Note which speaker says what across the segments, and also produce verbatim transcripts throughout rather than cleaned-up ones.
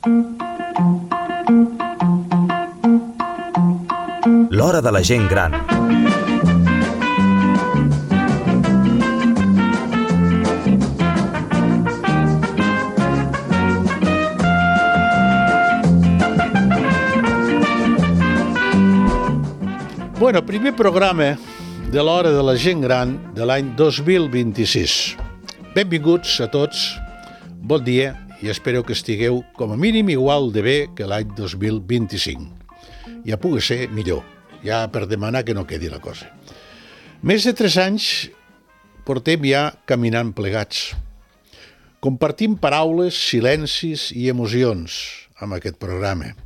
Speaker 1: L'hora de la gent gran.
Speaker 2: Bueno, primer programa de l'hora de la gent gran de l'any dos mil vint-i-sis. Benvinguts a tots, bon dia i espero que estigueu com a mínim igual de bé que l'any dos mil vint-i-cinc. Ja pugui ser millor, ja per demanar que no quedi la cosa. Més de tres anys portem ja caminant plegats. Compartim paraules, silencis i emocions amb aquest programa.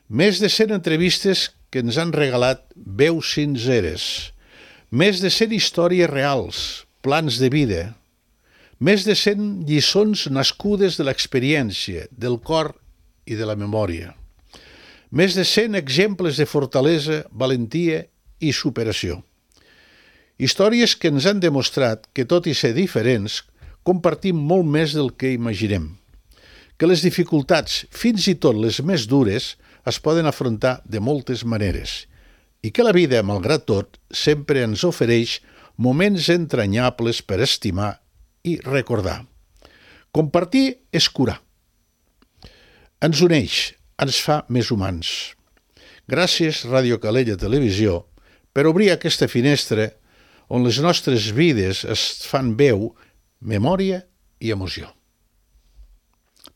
Speaker 2: Més de cent entrevistes que ens han regalat veus sinceres, més de cent històries reals, plans de vida, més de cent lliçons nascudes de l'experiència, del cor i de la memòria, més de cent exemples de fortalesa, valentia i superació. Històries que ens han demostrat que, tot i ser diferents, compartim molt més del que imaginem, que les dificultats, fins i tot les més dures, es poden afrontar de moltes maneres i que la vida, malgrat tot, sempre ens ofereix moments entranyables per estimar i recordar. Compartir és curar. Ens uneix, ens fa més humans. Gràcies, Ràdio Calella Televisió, per obrir aquesta finestra on les nostres vides es fan veu, memòria i emoció.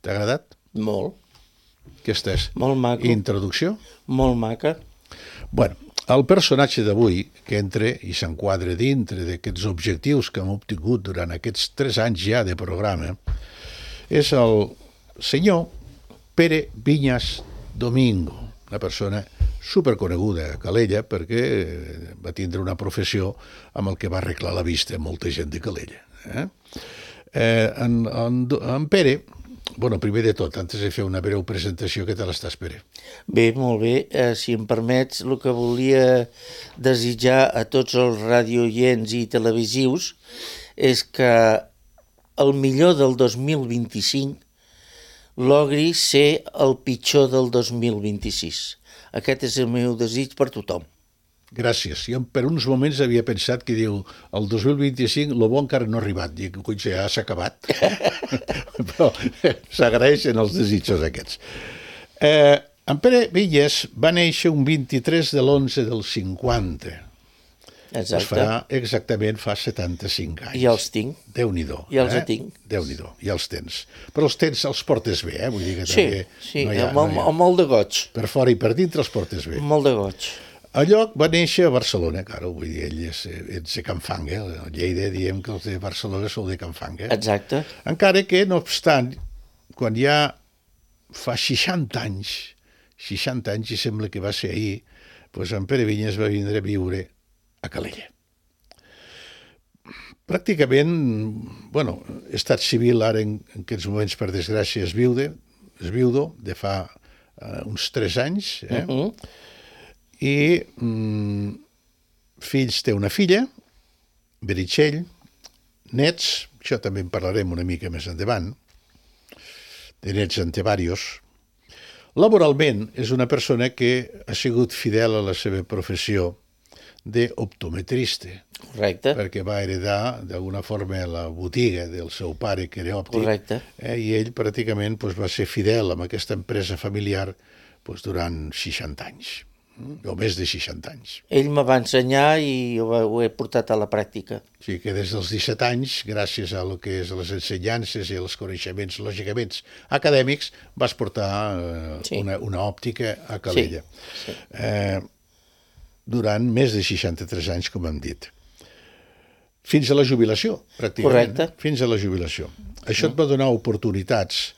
Speaker 2: T'ha agradat?
Speaker 3: Molt.
Speaker 2: Aquesta és
Speaker 3: Molt maco.
Speaker 2: Introducció?
Speaker 3: Molt maca.
Speaker 2: Bueno, el personatge d'avui, que entra i s'enquadra dintre d'aquests objectius que hem obtingut durant aquests tres anys ja de programa, és el senyor Pere Viñas Domingo, una persona superconeguda a Calella perquè va tindre una professió amb el que va arreglar la vista a molta gent de Calella. Eh? Eh, en, en, en Pere... Bueno, primer de tot, antes de fer una breu presentació, què tal estàs, Pere?
Speaker 3: Bé, molt bé. Eh, si em permets, el que volia desitjar a tots els radioients i televisius és que el millor del dos mil vint-i-cinc logri ser el pitjor del dos mil vint-i-sis. Aquest és el meu desig per tothom.
Speaker 2: Gràcies. Jo per uns moments havia pensat que diu el dos mil vint-i-cinc el bo encara no ha arribat. Dic, coi, ja s'ha acabat. Però s'agraeixen els desitjos aquests. Eh, en Pere Viñas va néixer un vint-i-tres de l'onze del cinquanta.
Speaker 3: Exacte.
Speaker 2: Es farà exactament fa setanta-cinc anys.
Speaker 3: I els tinc.
Speaker 2: Déu-n'hi-do.
Speaker 3: I els
Speaker 2: eh?
Speaker 3: tinc.
Speaker 2: Déu-n'hi-do. I els tens. Però els tens, els portes bé, eh? Vull dir que
Speaker 3: Sí,
Speaker 2: també
Speaker 3: sí,
Speaker 2: no hi ha,
Speaker 3: amb,
Speaker 2: no hi ha.
Speaker 3: amb molt de goig.
Speaker 2: Per fora i per dintre els portes bé.
Speaker 3: Molt de goig.
Speaker 2: El lloc va néixer a Barcelona, claro, vull dir, ell és, és de Can Fanga, a Lleida diem que els de Barcelona sou de Can Fanga.
Speaker 3: Exacte.
Speaker 2: Encara que, no obstant, quan ja fa seixanta anys, seixanta anys, i sembla que va ser ahir, doncs en Pere Viñas va vindre a viure a Calella. Pràcticament, bueno, estat civil ara en, en aquests moments, per desgràcia, és viude, és viudo, de fa uh, uns tres anys, eh? Uh-huh. I mm, fills té una filla, Meritxell, nets, això també en parlarem una mica més endavant, de nets en té diversos. Laboralment és una persona que ha sigut fidel a la seva professió d'optometrista.
Speaker 3: Correcte.
Speaker 2: Perquè va heredar d'alguna forma la botiga del seu pare, que era òptic.
Speaker 3: Correcte.
Speaker 2: Eh, I ell pràcticament doncs, va ser fidel amb aquesta empresa familiar doncs, durant seixanta anys. O més de seixanta anys.
Speaker 3: Ell me va ensenyar i ho, ho he portat a la pràctica.
Speaker 2: O sigui que des dels disset anys, gràcies a lo que és les ensenyances i els coneixements, lògicament, acadèmics, vas portar eh,
Speaker 3: Sí.
Speaker 2: una, una òptica a Calella.
Speaker 3: Sí, sí.
Speaker 2: Eh, durant més de seixanta-tres anys, com hem dit. Fins a la jubilació, pràcticament.
Speaker 3: Correcte.
Speaker 2: Fins a la jubilació. Això et va donar oportunitats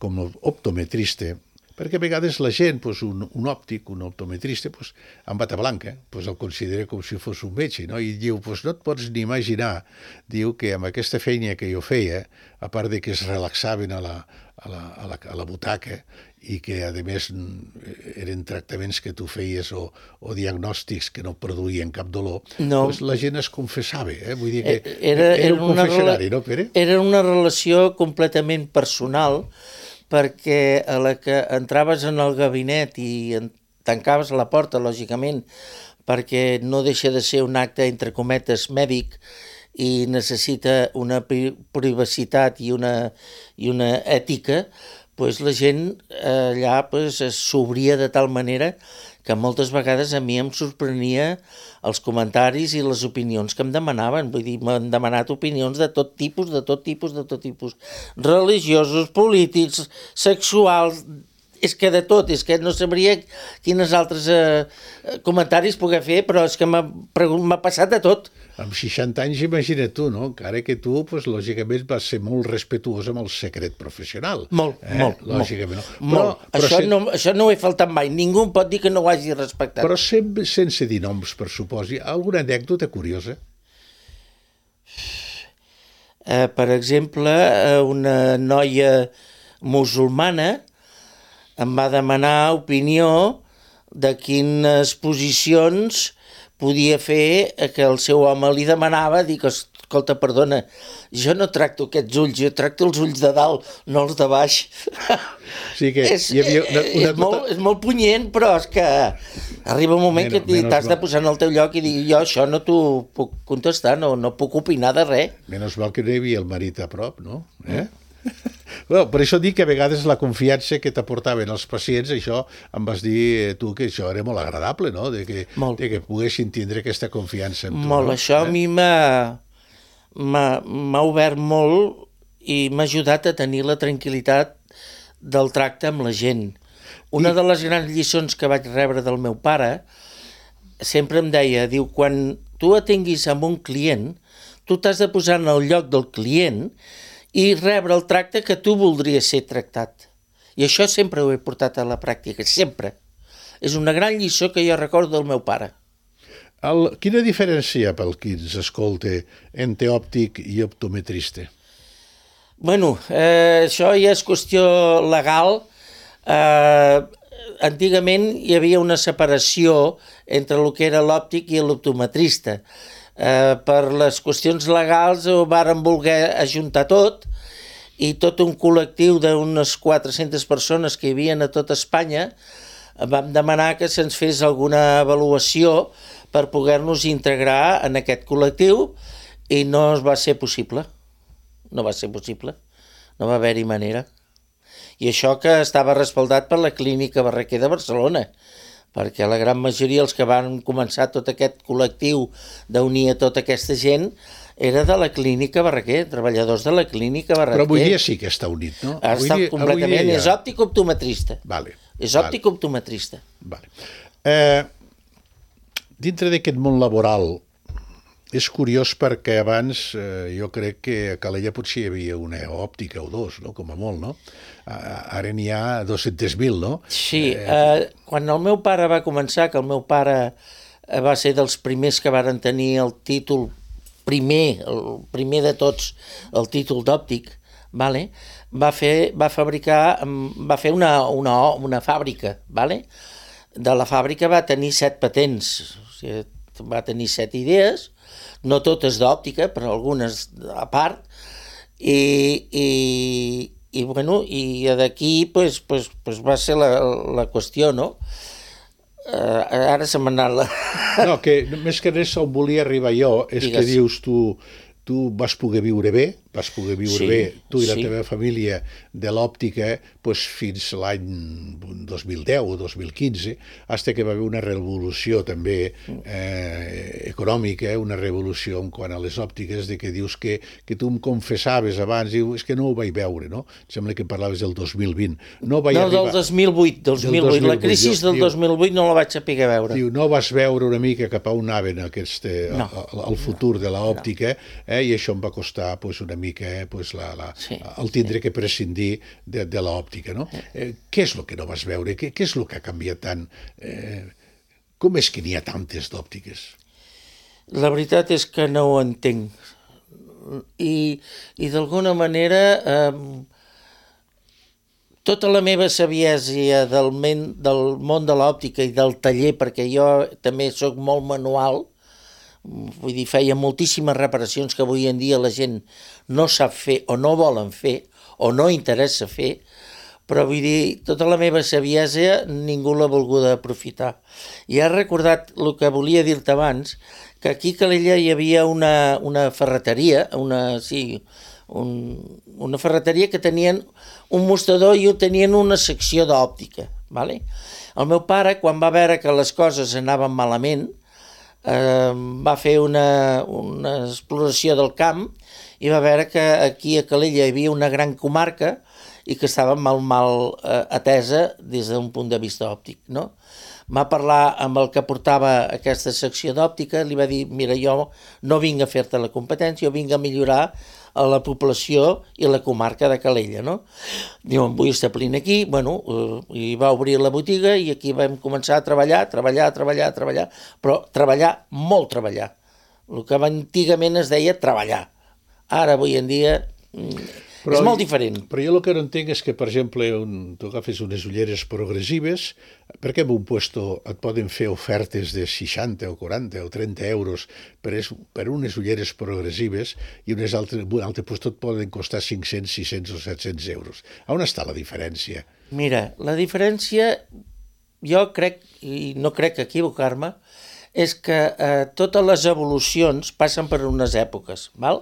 Speaker 2: com a optometrista, perquè a vegades la gent, doncs, un, un òptic, un optometrista, doncs, amb bata blanca, doncs, el considera com si fos un metge, no? I diu, doncs, no et pots ni imaginar, diu que amb aquesta feina que jo feia, a part de que es relaxaven a la, a la, a la, a la butaca i que, a més, eren tractaments que tu feies o, o diagnòstics que no produïen cap dolor,
Speaker 3: no.
Speaker 2: Doncs la gent es confessava. Eh? Vull dir que
Speaker 3: era,
Speaker 2: era un
Speaker 3: una
Speaker 2: confessionari,
Speaker 3: rela...
Speaker 2: no, Pere?
Speaker 3: Era una relació completament personal, perquè a la que entraves en el gabinet i tancaves la porta, lògicament, perquè no deixa de ser un acte, entre cometes, mèdic, i necessita una privacitat i una, i una ètica, pues la gent allà pues, s'obria de tal manera que moltes vegades a mi em sorprenia els comentaris i les opinions que em demanaven. Vull dir, m'han demanat opinions de tot tipus, de tot tipus, de tot tipus. Religiosos, polítics, sexuals, és que de tot, és que no sabria quines altres eh, comentaris poder fer, però és que m'ha, m'ha passat de tot.
Speaker 2: Amb seixanta anys, imagina't tu, no? Encara que tu, pues, lògicament, vas ser molt respetuós amb el secret professional.
Speaker 3: Molt,
Speaker 2: eh?
Speaker 3: molt.
Speaker 2: Lògicament,
Speaker 3: molt.
Speaker 2: no? Però,
Speaker 3: molt.
Speaker 2: però
Speaker 3: això,
Speaker 2: sen...
Speaker 3: no, això no ho he faltat mai. Ningú pot dir que no ho hagi respectat.
Speaker 2: Però sempre, sense dir noms, per suposi, alguna anècdota curiosa?
Speaker 3: Eh, per exemple, una noia musulmana em va demanar opinió de quines posicions podia fer que el seu home li demanava, dir que, escolta, perdona, jo no tracto aquests ulls, jo tracto els ulls de dalt, no els de baix.
Speaker 2: Sí que
Speaker 3: és,
Speaker 2: hi havia una, una
Speaker 3: és, molt, és molt punyent, però és que arriba un moment menos, que t'has de posar en el teu lloc i dir, jo això no t'ho puc contestar, no, no puc opinar de res.
Speaker 2: Menys mal que no hi havia el marit a prop, no? Eh? Mm. Well, per això dic que a vegades la confiança que t'aportaven els pacients, això em vas dir tu que això era molt agradable, no? De que, de que poguessin tindre aquesta confiança en tu.
Speaker 3: Molt,
Speaker 2: no?
Speaker 3: Això
Speaker 2: eh?
Speaker 3: a mi m'ha, m'ha, m'ha obert molt i m'ha ajudat a tenir la tranquil·litat del tracte amb la gent. Una I... de les grans lliçons que vaig rebre del meu pare sempre em deia, diu, quan tu atenguis amb un client, tu t'has de posar en el lloc del client i rebre el tracte que tu voldries ser tractat. I això sempre ho he portat a la pràctica, sempre. És una gran lliçó que jo recordo del meu pare.
Speaker 2: El, quina diferència pel qui ens escolta entre òptic i optometrista?
Speaker 3: Bueno, eh, això ja és qüestió legal. Eh, antigament hi havia una separació entre el que era l'òptic i l'optometrista. Eh, per les qüestions legals ho varen voler ajuntar tot i tot un col·lectiu d'unes quatre-centes persones que hi havia a tota Espanya vam demanar que se'ns fes alguna avaluació per poder-nos integrar en aquest col·lectiu i no va ser possible. No va ser possible. No va haver-hi manera. I això que estava respaldat per la Clínica Barraquer de Barcelona, perquè la gran majoria, els que van començar tot aquest col·lectiu d'unir a tota aquesta gent, era de la Clínica Barraquer, treballadors de la Clínica Barraquer.
Speaker 2: Però avui dia sí que està unit, no?
Speaker 3: Està
Speaker 2: dia,
Speaker 3: completament,
Speaker 2: ja...
Speaker 3: és òptic-optometrista.
Speaker 2: Vale,
Speaker 3: és òptic-optometrista.
Speaker 2: Vale. Eh, dintre d'aquest món laboral, és curiós perquè abans eh, jo crec que a Calella potser hi havia una òptica o dos, no? Com a molt, no? Ara n'hi ha dos-cents mil, no?
Speaker 3: Sí, eh, quan el meu pare va començar, que el meu pare va ser dels primers que varen tenir el títol primer, el primer de tots, el títol d'òptic, vale? va, fer, va fabricar, va fer una, una, una fàbrica, vale? De la fàbrica va tenir set patents, o sigui, va tenir set idees, no totes d'òptica, però algunes a part, i, i, i, bueno, i d'aquí pues, pues, pues va ser la, la qüestió, no? Uh, ara se m'ha anat la...
Speaker 2: No, que més que res on volia arribar jo és Digues. Que dius tu, tu vas poder viure bé, vas poder viure sí, bé, tu i la sí. teva família de l'òptica pues, fins l'any dos mil deu o dos mil quinze, fins que va haver una revolució també eh, econòmica, una revolució en quant a les òptiques, de que dius que, que tu em confessaves abans, dius, és que no ho vaig veure, no? Sembla que parlaves del dos mil vint. No, vaig
Speaker 3: no
Speaker 2: arribar...
Speaker 3: del dos mil vuit, del dos mil vuit. La crisi del dos mil vuit no la vaig saber veure.
Speaker 2: Diu, no vas veure una mica cap a on anaven aquest, no, el, el futur no, de l'òptica, no. eh, i això em va costar pues, una mica eh, pues, la, la, sí, el tindre sí. que prescindir de, de l'òptica, no? Eh, què és el que no vas veure? Què, què és el que ha canviat tant? Eh, com és que n'hi ha tantes d'òptiques?
Speaker 3: La veritat és que no ho entenc. I, i d'alguna manera eh, tota la meva saviesa del, men, del món de l'òptica i del taller, perquè jo també sóc molt manual, vull dir, feia moltíssimes reparacions que avui en dia la gent no sap fer o no volen fer o no interessa fer, però vull dir, tota la meva saviesa ningú l'ha volguda aprofitar. I has recordat el que volia dir-te abans, que aquí a Calella hi havia una, una ferreteria, una, sí, un, una ferreteria que tenien un mostrador i tenien una secció d'òptica. Vale? El meu pare, quan va veure que les coses anaven malament, eh, va fer una, una exploració del camp i va veure que aquí a Calella hi havia una gran comarca i que estava mal, mal eh, atesa des d'un punt de vista òptic, no? Va parlar amb el que portava aquesta secció d'òptica, li va dir, mira, jo no vinc a fer-te la competència, jo vinc a millorar a la població i la comarca de Calella, no? Diu, em vull establir aquí, bueno, eh, i va obrir la botiga i aquí vam començar a treballar, treballar, treballar, treballar, però treballar, molt treballar. El que antigament es deia treballar. Ara, avui en dia, però, és molt diferent.
Speaker 2: Però jo el que no entenc és que, per exemple, un, tu agafes unes ulleres progressives, perquè en un puesto et poden fer ofertes de seixanta o quaranta o trenta euros per, es, per unes ulleres progressives i unes altres, un altre puesto et poden costar cinc-cents, sis-cents o set-cents euros. On està la diferència?
Speaker 3: Mira, la diferència, jo crec, i no crec equivocar-me, és que eh, totes les evolucions passen per unes èpoques, val?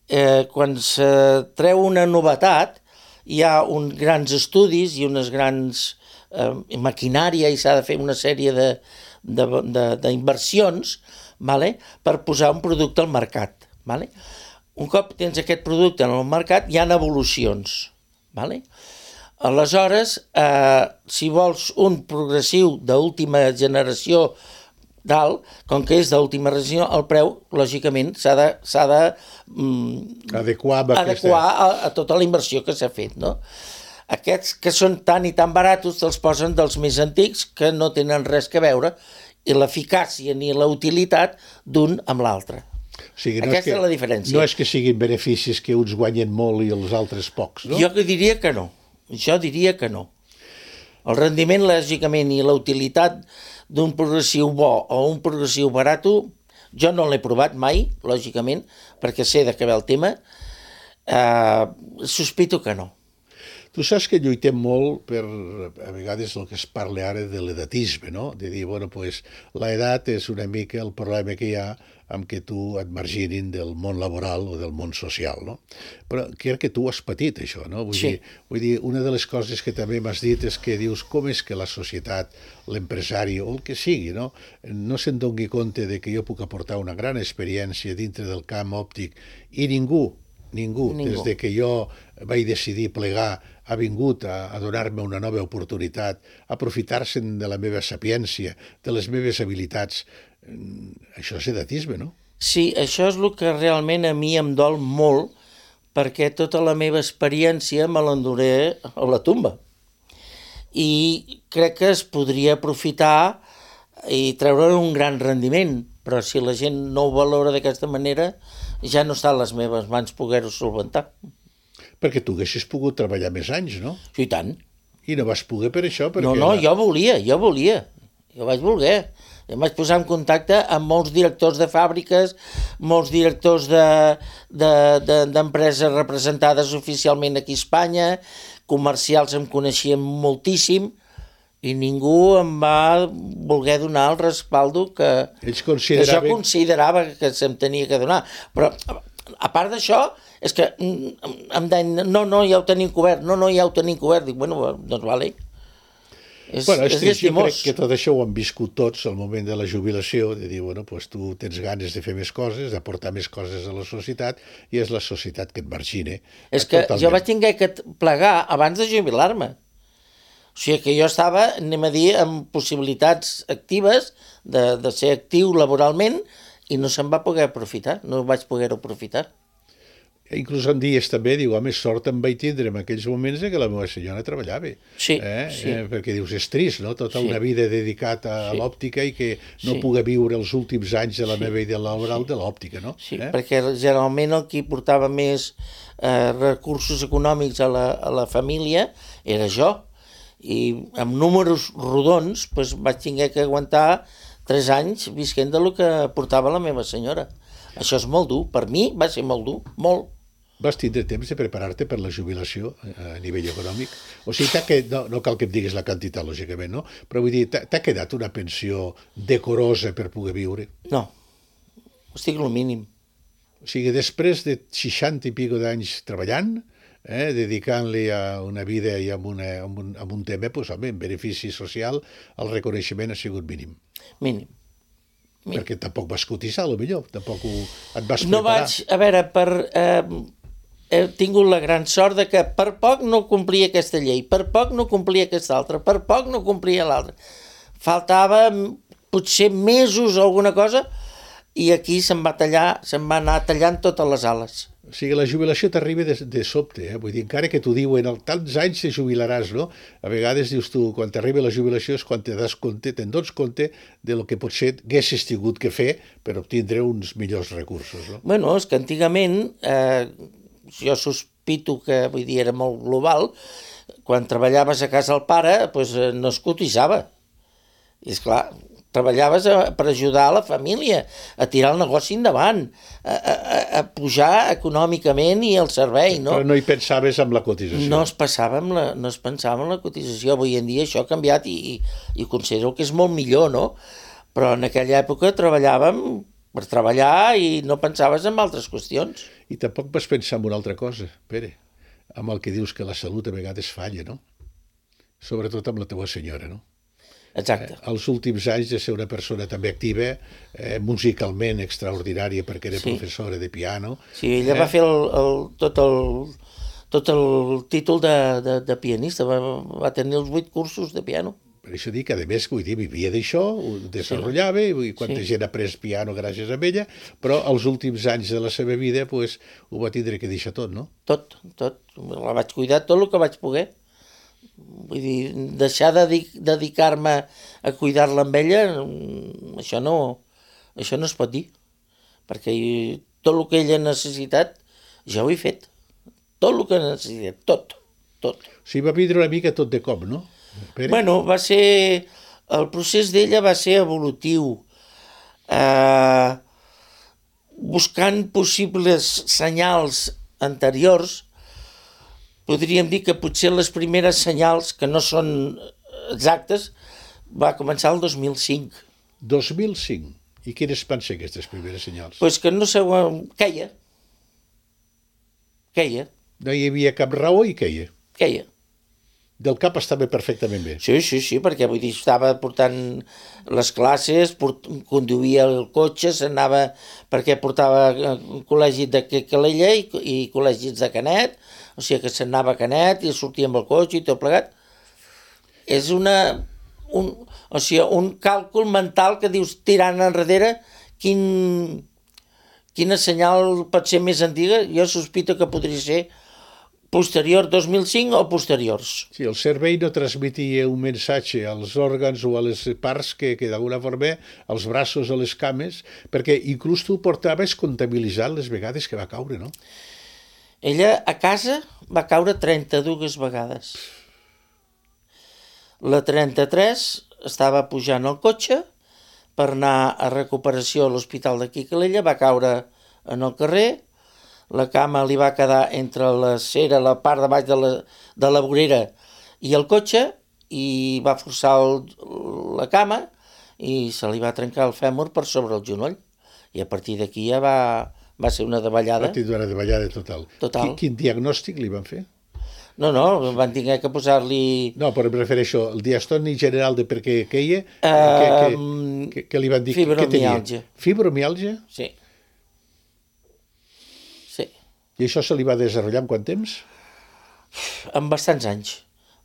Speaker 3: Eh, quan se treu una novetat hi ha uns grans estudis i unes grans eh, maquinària i s'ha de fer una sèrie d'inversions, vale? Per posar un producte al mercat. Vale? Un cop tens aquest producte en el mercat hi ha evolucions. Vale? Aleshores, eh, si vols un progressiu d'última generació dalt, com que és d'última generació, el preu, lògicament, s'ha de, s'ha de mm,
Speaker 2: adequar,
Speaker 3: adequar a, a tota la inversió que s'ha fet, no? Aquests que són tan i tan baratos te'ls posen dels més antics que no tenen res que veure i l'eficàcia ni la utilitat d'un amb l'altre.
Speaker 2: O sigui, no
Speaker 3: Aquesta és,
Speaker 2: és, que,
Speaker 3: és la diferència.
Speaker 2: No és que siguin beneficis que uns guanyen molt i els altres pocs, no?
Speaker 3: Jo diria que no. Jo diria que no. El rendiment, lògicament, i la utilitat d'un progressiu bo o un progressiu barat, jo no l'he provat mai, lògicament, perquè sé de què ve el tema, eh, sospito que no.
Speaker 2: Tu saps que lluitem molt per, a vegades, el que es parla ara de l'edatisme, no? De dir, bueno, pues, l'edat és una mica el problema que hi ha amb que tu et marginin del món laboral o del món social, no? Però crec que tu has patit això, no? Vull,
Speaker 3: sí.
Speaker 2: dir, vull dir, una de les coses que també m'has dit és que dius com és que la societat, l'empresari o el que sigui, no? No se'n doni compte de que jo puc aportar una gran experiència dintre del camp òptic i ningú, ningú, ningú. des de que jo vaig decidir plegar ha vingut a, a donar-me una nova oportunitat, a aprofitar-se'n de la meva sapiència, de les meves habilitats. Això és edatisme, no?
Speaker 3: Sí, això és el que realment a mi em dol molt, perquè tota la meva experiència me l'enduré a la tomba. I crec que es podria aprofitar i treure un gran rendiment, però si la gent no ho valora d'aquesta manera, ja no està a les meves mans poder-ho solventar.
Speaker 2: Perquè tu haguessis pogut treballar més anys, no?
Speaker 3: Sí, i tant.
Speaker 2: I no vas poder per això? Perquè
Speaker 3: no, no, jo volia, jo volia. Jo vaig voler. Em vaig posar en contacte amb molts directors de fàbriques, molts directors d'empreses de, de, de, representades oficialment aquí a Espanya, comercials em coneixien moltíssim, i ningú em va voler donar el respaldo que,
Speaker 2: Ells
Speaker 3: consideraven... que jo considerava que se'm tenia que donar. Però, a part d'això, és que em deien, no, no, ja ho tenim cobert, no, no, ja ho tenim cobert. Dic, bueno, doncs vale. És,
Speaker 2: bueno, és,
Speaker 3: és
Speaker 2: jo crec que tot això ho han viscut tots al moment de la jubilació, de dir, bueno, pues tu tens ganes de fer més coses, d'aportar més coses a la societat, i és la societat que et margina.
Speaker 3: És que totalment. Jo vaig tenir que plegar abans de jubilar-me. O sigui que jo estava, anem a dir, amb possibilitats actives de, de ser actiu laboralment i no se'n va poder aprofitar, no vaig poder-ho aprofitar.
Speaker 2: Inclús en dies també, diu, home, sort em vaig tindre en aquells moments que la meva senyora treballava.
Speaker 3: Sí,
Speaker 2: eh?
Speaker 3: sí.
Speaker 2: Eh, perquè dius, és trist, no? Tota
Speaker 3: sí.
Speaker 2: una vida dedicat a,
Speaker 3: sí.
Speaker 2: a l'òptica i que no
Speaker 3: sí.
Speaker 2: pugui viure els últims anys de la
Speaker 3: sí.
Speaker 2: meva vida laboral
Speaker 3: sí.
Speaker 2: de l'òptica, no?
Speaker 3: Sí,
Speaker 2: eh?
Speaker 3: perquè generalment el qui portava més eh, recursos econòmics a la, a la família era jo. I amb números rodons doncs, vaig tenir que aguantar tres anys visquent del que portava la meva senyora. Això és molt dur. Per mi va ser molt dur, molt.
Speaker 2: Vas tindre temps de preparar-te per la jubilació a nivell econòmic? O sigui, t'ha que, no, no cal que em diguis la quantitat, lògicament, no? Però vull dir, t'ha quedat una pensió decorosa per poder viure?
Speaker 3: No, estic el mínim.
Speaker 2: O sigui, després de seixanta i pico d'anys treballant, eh, dedicant-li a una vida i a, una, a, un, a un tema, doncs, home, en benefici social, el reconeixement ha sigut mínim.
Speaker 3: Mínim. mínim.
Speaker 2: Perquè tampoc vas cotitzar, potser, tampoc ho, et vas preparar.
Speaker 3: No vaig, a veure, per... Eh, he tingut la gran sort de que per poc no complia aquesta llei, per poc no complia aquesta altra, per poc no complia l'altra. Faltava potser mesos o alguna cosa i aquí se'm va tallar, se'm va anar tallant totes les ales.
Speaker 2: O sigui, la jubilació t'arriba de, de sobte, eh? Vull dir, encara que t'ho diuen, en tants anys te jubilaràs, no? A vegades dius tu, quan t'arriba la jubilació és quan te das compte, te'n dones compte de lo que potser haguessis tingut que fer per obtindre uns millors recursos, no?
Speaker 3: Bueno, és que antigament... Eh, jo sospito que, vull dir, era molt global, quan treballaves a casa del pare, doncs no es cotitzava. I esclar, treballaves a, per ajudar a la família, a tirar el negoci endavant, a, a, a pujar econòmicament i el servei, no?
Speaker 2: Però no hi pensaves amb la cotització.
Speaker 3: No es passava amb la, no es pensava en la cotització. Avui en dia això ha canviat i, i, i considero que és molt millor, no? Però en aquella època treballàvem per treballar i no pensaves en altres qüestions.
Speaker 2: I tampoc vas pensar en una altra cosa, Pere, amb el que dius que la salut a vegades falla, no? Sobretot amb la teva senyora, no?
Speaker 3: Exacte.
Speaker 2: Eh, els últims anys de ser una persona també activa, eh, musicalment extraordinària perquè era
Speaker 3: Sí.
Speaker 2: professora de piano.
Speaker 3: Sí, ella
Speaker 2: eh?
Speaker 3: va fer el, el, tot, el, tot el títol de, de, de pianista, va, va tenir els vuit cursos de piano.
Speaker 2: Per això dic que, a més, vull dir, vivia d'això, ho desenvolupava, i quanta
Speaker 3: Sí.
Speaker 2: gent ha après piano gràcies a ella, però els últims anys de la seva vida pues, ho va tindre que deixar tot, no?
Speaker 3: Tot, tot. La vaig cuidar tot el que vaig poder. Vull dir, deixar de dedicar-me a cuidar-la amb ella, això no, això no es pot dir. Perquè tot el que ella ha necessitat, ja ho he fet. Tot el que ha necessitat, tot, tot.
Speaker 2: O sigui, va vindre una mica tot de cop, no? Pere?
Speaker 3: Bueno, va ser... El procés d'ella va ser evolutiu. Eh, buscant possibles senyals anteriors, podríem dir que potser les primeres senyals, que no són exactes, va començar el dos mil cinc.
Speaker 2: dos mil cinc. I quines van ser aquestes primeres senyals?
Speaker 3: Pues que no sé... Queia. Queia.
Speaker 2: No hi havia cap raó i queia.
Speaker 3: Queia.
Speaker 2: Del cap estava perfectament bé.
Speaker 3: Sí, sí, sí, perquè vull dir, estava portant les classes, port, conduïa el cotxe, s'anava perquè portava col·legis de Calella i, i col·legis de Canet, o sigui que s'anava a Canet i sortia amb el cotxe i tot plegat. És una, un, o sigui, un càlcul mental que dius, tirant enrere, quin, quina senyal pot ser més antiga? Jo sospito que podria ser posterior dos mil cinc o posteriors.
Speaker 2: Sí, el cervell no transmetia un missatge als òrgans o a les parts que, que d'alguna forma, als braços o les cames, perquè inclús tu portaves comptabilitzant les vegades que va caure, no?
Speaker 3: Ella a casa va caure trenta-dues vegades. La trenta-tres estava pujant al cotxe per anar a recuperació a l'hospital d'aquí Calella, va caure en el carrer, la cama li va quedar entre la cera, la part de baix de la, de la vorera i el cotxe, i va forçar el, la cama i se li va trencar el fèmur per sobre el genoll. I a partir d'aquí ja va, va ser una davallada.
Speaker 2: Va tindre una davallada total.
Speaker 3: Total.
Speaker 2: Quin, quin diagnòstic li van fer?
Speaker 3: No, no, van tenir que posar-li...
Speaker 2: No, però em refereixo al diagnòstic general de per què queia,
Speaker 3: Uh,
Speaker 2: que, que, que, que li van dir...
Speaker 3: fibromiàlgia.
Speaker 2: Fibromiàlgia?
Speaker 3: Sí. Sí.
Speaker 2: I això se li va desenvolupar en quant temps?
Speaker 3: En bastants anys.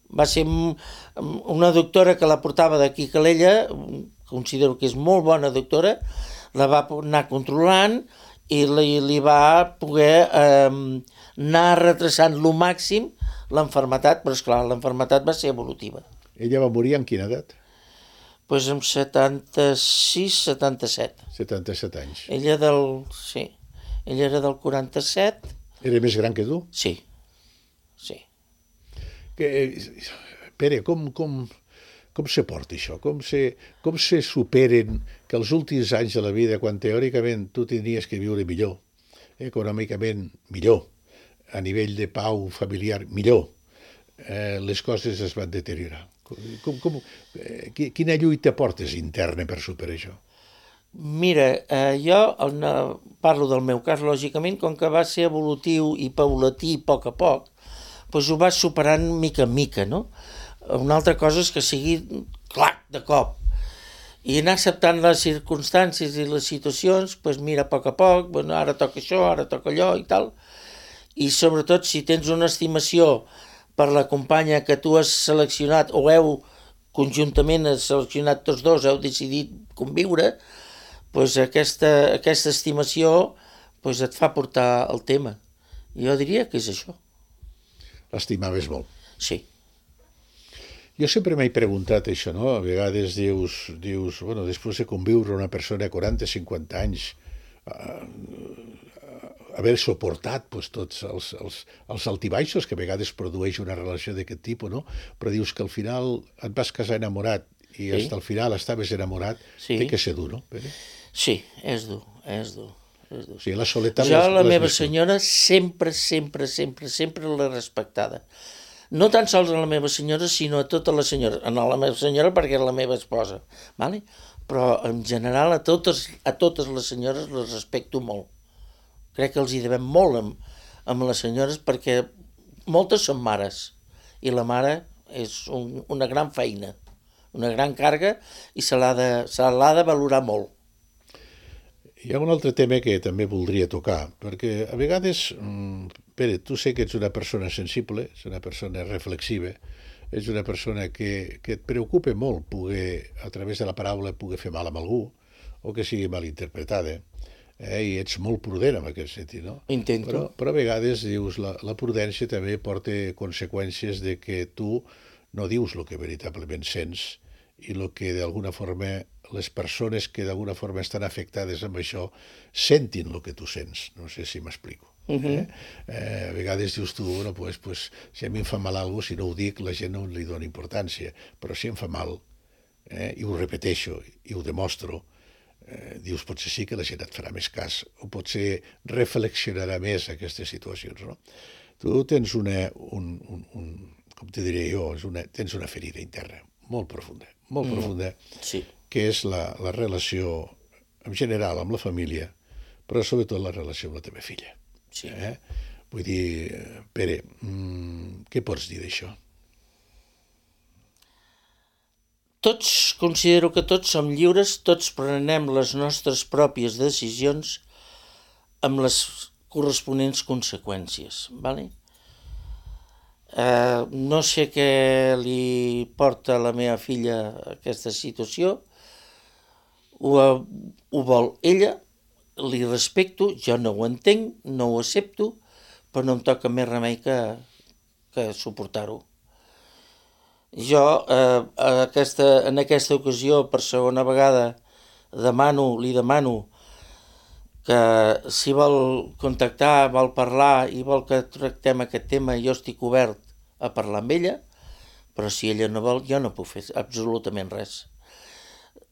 Speaker 3: Va ser una doctora que la portava d'aquí a Calella, considero que és molt bona doctora, la va anar controlant i li, li va poder eh, anar retrasant lo màxim l'enfermetat, però esclar, l'enfermetat va ser evolutiva.
Speaker 2: Ella va morir en quina edat?
Speaker 3: Doncs pues amb setanta-sis setanta-set.
Speaker 2: setanta-set anys.
Speaker 3: Ella del... sí. Ella era del quaranta-set.
Speaker 2: Era més gran que tu?
Speaker 3: Sí. Sí.
Speaker 2: Que, Pere, com, com, com se porta això? Com se, com se superen que els últims anys de la vida, quan teòricament tu tenies que viure millor, econòmicament millor, a nivell de pau familiar, millor, eh, les coses es van deteriorar. Com, com, eh, quina lluita portes interna per superar això?
Speaker 3: Mira, eh, jo el, parlo del meu cas, lògicament, com que va ser evolutiu i paulatí a poc a poc, doncs ho vas superant mica en mica, no? Una altra cosa és que sigui, clac, de cop. I anar acceptant les circumstàncies i les situacions, doncs mira, a poc a poc, bueno, ara toca això, ara toca allò i tal. I sobretot, si tens una estimació per la companya que tu has seleccionat, o heu conjuntament has seleccionat tots dos, heu decidit conviure, doncs aquesta, aquesta estimació doncs et fa portar el tema. Jo diria que és això.
Speaker 2: L'estimaves molt.
Speaker 3: Sí.
Speaker 2: Jo sempre m'he preguntat això, no? A vegades dius, dius bueno, després de conviure una persona a quaranta o cinquanta anys, eh, haver suportat pues, tots els, els, els altibaixos que a vegades produeix una relació d'aquest tipus, no? Però dius que al final et vas casar enamorat i sí. Fins al final estaves enamorat, sí. Té que ser dur, no, Pere?
Speaker 3: Sí, és dur, és dur. És dur.
Speaker 2: O sigui, la soledat...
Speaker 3: Jo la meva senyora sempre, sempre, sempre, sempre l'he respectada. No tan sols a la meva senyora, sinó a totes les senyores. No a la meva senyora perquè és la meva esposa, ¿vale? Però en general a totes, a totes les senyores les respecto molt. Crec que els hi devem molt amb, amb les senyores perquè moltes són mares i la mare és un, una gran feina, una gran càrrega i se l'ha de, se l'ha de valorar molt.
Speaker 2: Hi ha un altre tema que també voldria tocar, perquè a vegades, Pere, tu sé que ets una persona sensible, ets una persona reflexiva, ets una persona que, que et preocupa molt poder, a través de la paraula, poder fer mal a algú, o que sigui mal interpretada, eh? I ets molt prudent en aquest sentit, no?
Speaker 3: Intento.
Speaker 2: Però, però a vegades, dius, la, la prudència també porta conseqüències de que tu no dius el que veritablement sents i el que d'alguna forma les persones que d'alguna forma estan afectades amb això sentin el que tu sents. No sé si m'explico. Uh -huh. eh? Eh, a vegades dius tu, bueno, pues, pues, si a mi em fa mal alguna cosa, si no ho dic, la gent no li dona importància. Però si em fa mal, eh, i ho repeteixo, i ho demostro, eh, dius, potser sí que la gent et farà més cas, o potser reflexionarà més aquestes situacions, no? Tu tens una, un, un, un com te diré jo, és una, tens una ferida interna molt profunda, molt mm. profunda,
Speaker 3: sí.
Speaker 2: Que és la, la relació en general amb la família, però sobretot la relació amb la teva filla.
Speaker 3: Sí.
Speaker 2: Eh? Vull dir, Pere, mmm, què pots dir d'això?
Speaker 3: Tots, considero que tots som lliures, tots prenem les nostres pròpies decisions amb les corresponents conseqüències, ¿vale? Eh, no sé què li porta a la meva filla aquesta situació, ho, ho vol ella, li respecto, jo no ho entenc, no ho accepto, però no em toca més remei que, que suportar-ho. Jo eh, aquesta, en aquesta ocasió, per segona vegada, demano, li demano que si vol contactar, vol parlar i vol que tractem aquest tema, jo estic obert a parlar amb ella, però si ella no vol, jo no puc fer absolutament res.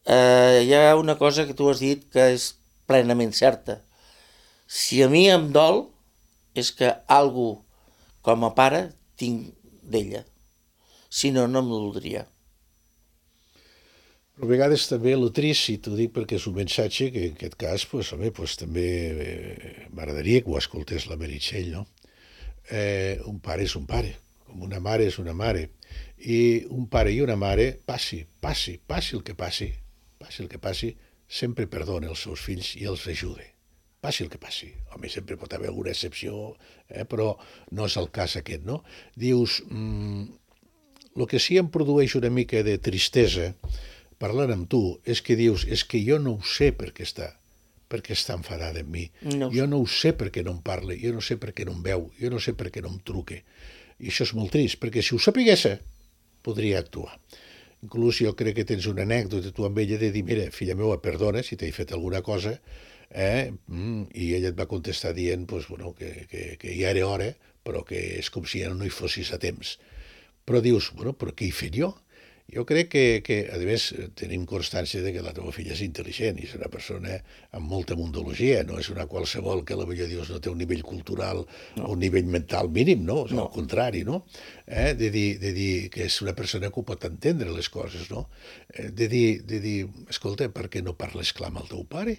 Speaker 3: Eh, hi ha una cosa que tu has dit que és plenament certa. Si a mi em dol, és que algú com a pare tinc d'ella. Si no, no em voldria.
Speaker 2: Però a vegades també el trist, i t'ho dic perquè és un missatge que en aquest cas pues, home, pues, també eh, m'agradaria que ho escoltés la Meritxell, no? Eh, un pare és un pare, com una mare és una mare. I un pare i una mare, passi, passi, passi el que passi, passi el que passi, sempre perdona els seus fills i els ajuda. Passi el que passi. Home, sempre pot haver alguna excepció, eh, però no és el cas aquest, no? Dius, mm, el que sí em produeix una mica de tristesa parlant amb tu és que dius, és que jo no ho sé per què està, per què està enfadada amb mi.
Speaker 3: No.
Speaker 2: Jo no ho sé per què no em parla, jo no sé per què no em veu, jo no sé per què no em truque. I això és molt trist, perquè si ho sapigués, podria actuar. Inclús jo crec que tens una anècdota tu amb ella de dir, mira, filla meva, perdona si t'he fet alguna cosa, eh? mm, i ella et va contestar dient pues, bueno, que, que, que ja era hora, però que és com si ja no hi fossis a temps. Però dius, bueno, però què he fet jo? Jo crec que, que, a més, tenim constància de que la teva filla és intel·ligent i és una persona amb molta mundologia, no és una qualsevol que potser dius no té un nivell cultural no. o un nivell mental mínim, no? O sigui, no. Al contrari, no? Eh? De, dir, de dir que és una persona que ho pot entendre les coses, no? Eh, de, dir, de dir, escolta, per què no parles clar amb el teu pare?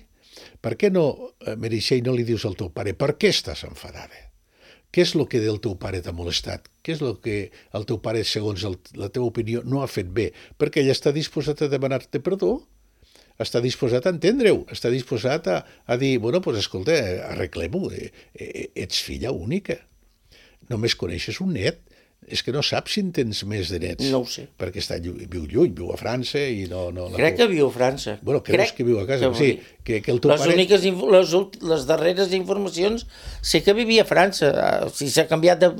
Speaker 2: Per què no, Meritxell, no li dius al teu pare per què estàs enfadada? Què és el que del teu pare t'ha molestat? Què és el que el teu pare, segons el, la teva opinió, no ha fet bé? Perquè ell està disposat a demanar-te perdó, està disposat a entendre-ho, està disposat a, a dir, bueno, doncs escolta, arreglem-ho, ets filla única, només coneixes un net, és que no saps si en tens més de nets.
Speaker 3: No ho sé.
Speaker 2: Perquè està, viu lluny, viu a França i no... no
Speaker 3: Crec que viu a França.
Speaker 2: Bueno, creus
Speaker 3: Crec
Speaker 2: que viu a casa.
Speaker 3: que
Speaker 2: Sí, que, que el teu
Speaker 3: les
Speaker 2: pare...
Speaker 3: Úniques, les, les darreres informacions sé que vivia a França. Si s'ha canviat de,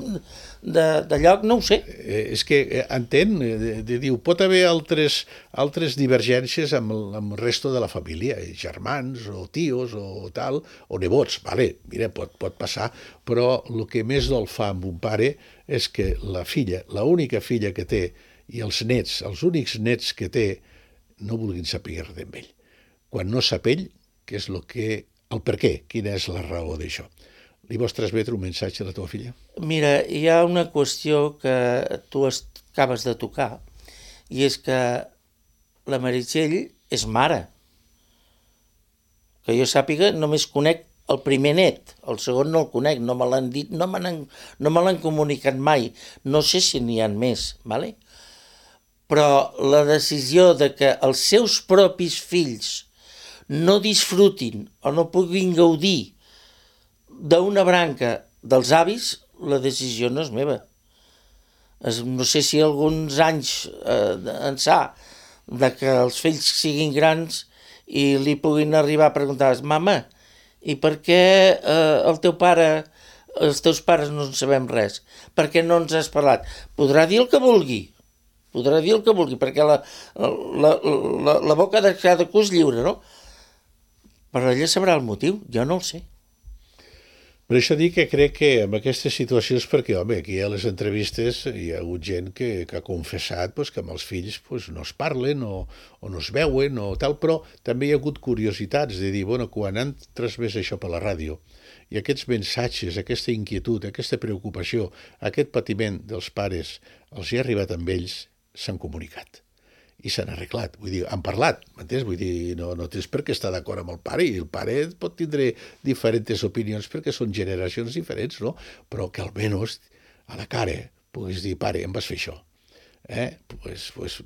Speaker 3: de, de lloc, no ho sé.
Speaker 2: Eh, és que entén, de, de, diu, pot haver altres, altres divergències amb el, amb el resto de la família, germans o tios o tal, o nebots, vale, mira, pot, pot passar, però el que més dol fa amb un pare és que la filla, la única filla que té, i els nets, els únics nets que té, no vulguin saber res d'ell. Quan no sap ell, què és el que, el per què, quina és la raó d'això. Li vols transmetre un missatge a la teva filla?
Speaker 3: Mira, hi ha una qüestió que tu acabes de tocar, i és que la Meritxell és mare. Que jo sàpiga, només conec el primer net, el segon no el conec, no me l'han dit, no me n'han no me l'han comunicat mai, no sé si n'hi ha més, ¿vale? Però la decisió de que els seus propis fills no disfrutin o no puguin gaudir d'una branca dels avis, la decisió no és meva. Es, no sé si alguns anys eh, ençà de que els fills siguin grans i li puguin arribar a preguntar, mama, i per què eh, el teu pare, els teus pares no en sabem res? Per què no ens has parlat? Podrà dir el que vulgui, podrà dir el que vulgui, perquè la, la, la, la boca de cada cú és lliure, no? Però ella sabrà el motiu, jo no el sé.
Speaker 2: Per això dic que crec que en aquestes situacions, perquè, home, aquí a les entrevistes hi ha hagut gent que, que ha confessat pues, que amb els fills pues, no es parlen o, o no es veuen o tal, però també hi ha hagut curiositats de dir, bueno, quan han transmès això per la ràdio i aquests missatges, aquesta inquietud, aquesta preocupació, aquest patiment dels pares els hi ha arribat amb ells, s'han comunicat i s'han arreglat, vull dir, han parlat, m'entens? Vull dir, no, no tens per què estar d'acord amb el pare, i el pare pot tindre diferents opinions perquè són generacions diferents, no? Però que almenys a la cara puguis dir, pare, em vas fer això, eh? Pues, pues,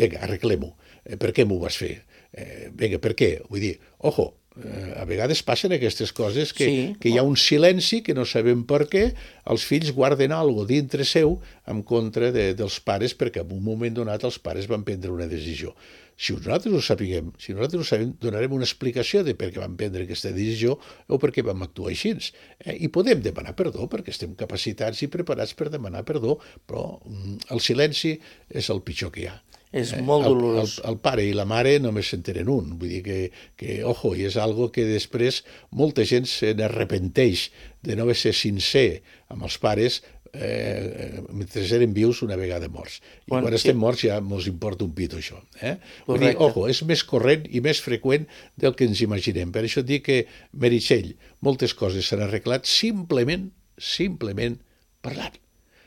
Speaker 2: vinga, arreglem-ho, eh, per què m'ho vas fer? Eh, vinga, per què? Vull dir, ojo, eh, a vegades passen aquestes coses que, sí. que hi ha un silenci que no sabem per què, els fills guarden alguna cosa dintre seu en contra de, dels pares perquè en un moment donat els pares van prendre una decisió. Si nosaltres ho sapiguem, si nosaltres ho sabem, donarem una explicació de per què vam prendre aquesta decisió o per què vam actuar així. Eh? I podem demanar perdó perquè estem capacitats i preparats per demanar perdó, però mm, el silenci és el pitjor que hi ha.
Speaker 3: És molt dolorós.
Speaker 2: El, el, el pare i la mare només s'entenen un. Vull dir que, que ojo, i és algo que després molta gent se n'arrepenteix de no haver ser sincer amb els pares eh, mentre eren vius una vegada morts. I quan, quan estem morts ja ens importa un pito això. Eh? Vull dir, ojo, és més corrent i més freqüent del que ens imaginem. Per això dic que, Meritxell, moltes coses s'han arreglat simplement, simplement parlant.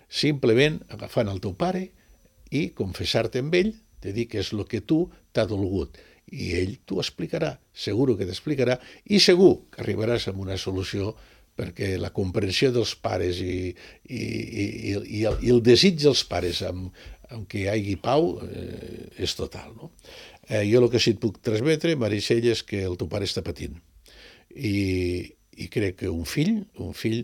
Speaker 2: Simplement agafant el teu pare i confessar-te amb ell, de dir que és el que tu t'ha dolgut. I ell t'ho explicarà, segur que t'explicarà, i segur que arribaràs a una solució perquè la comprensió dels pares i, i, i, i, el, i el desig dels pares amb, amb què hi hagi pau eh, és total. No? Eh, jo el que sí et puc transmetre, Meritxell, és que el teu pare està patint. I, i crec que un fill, un fill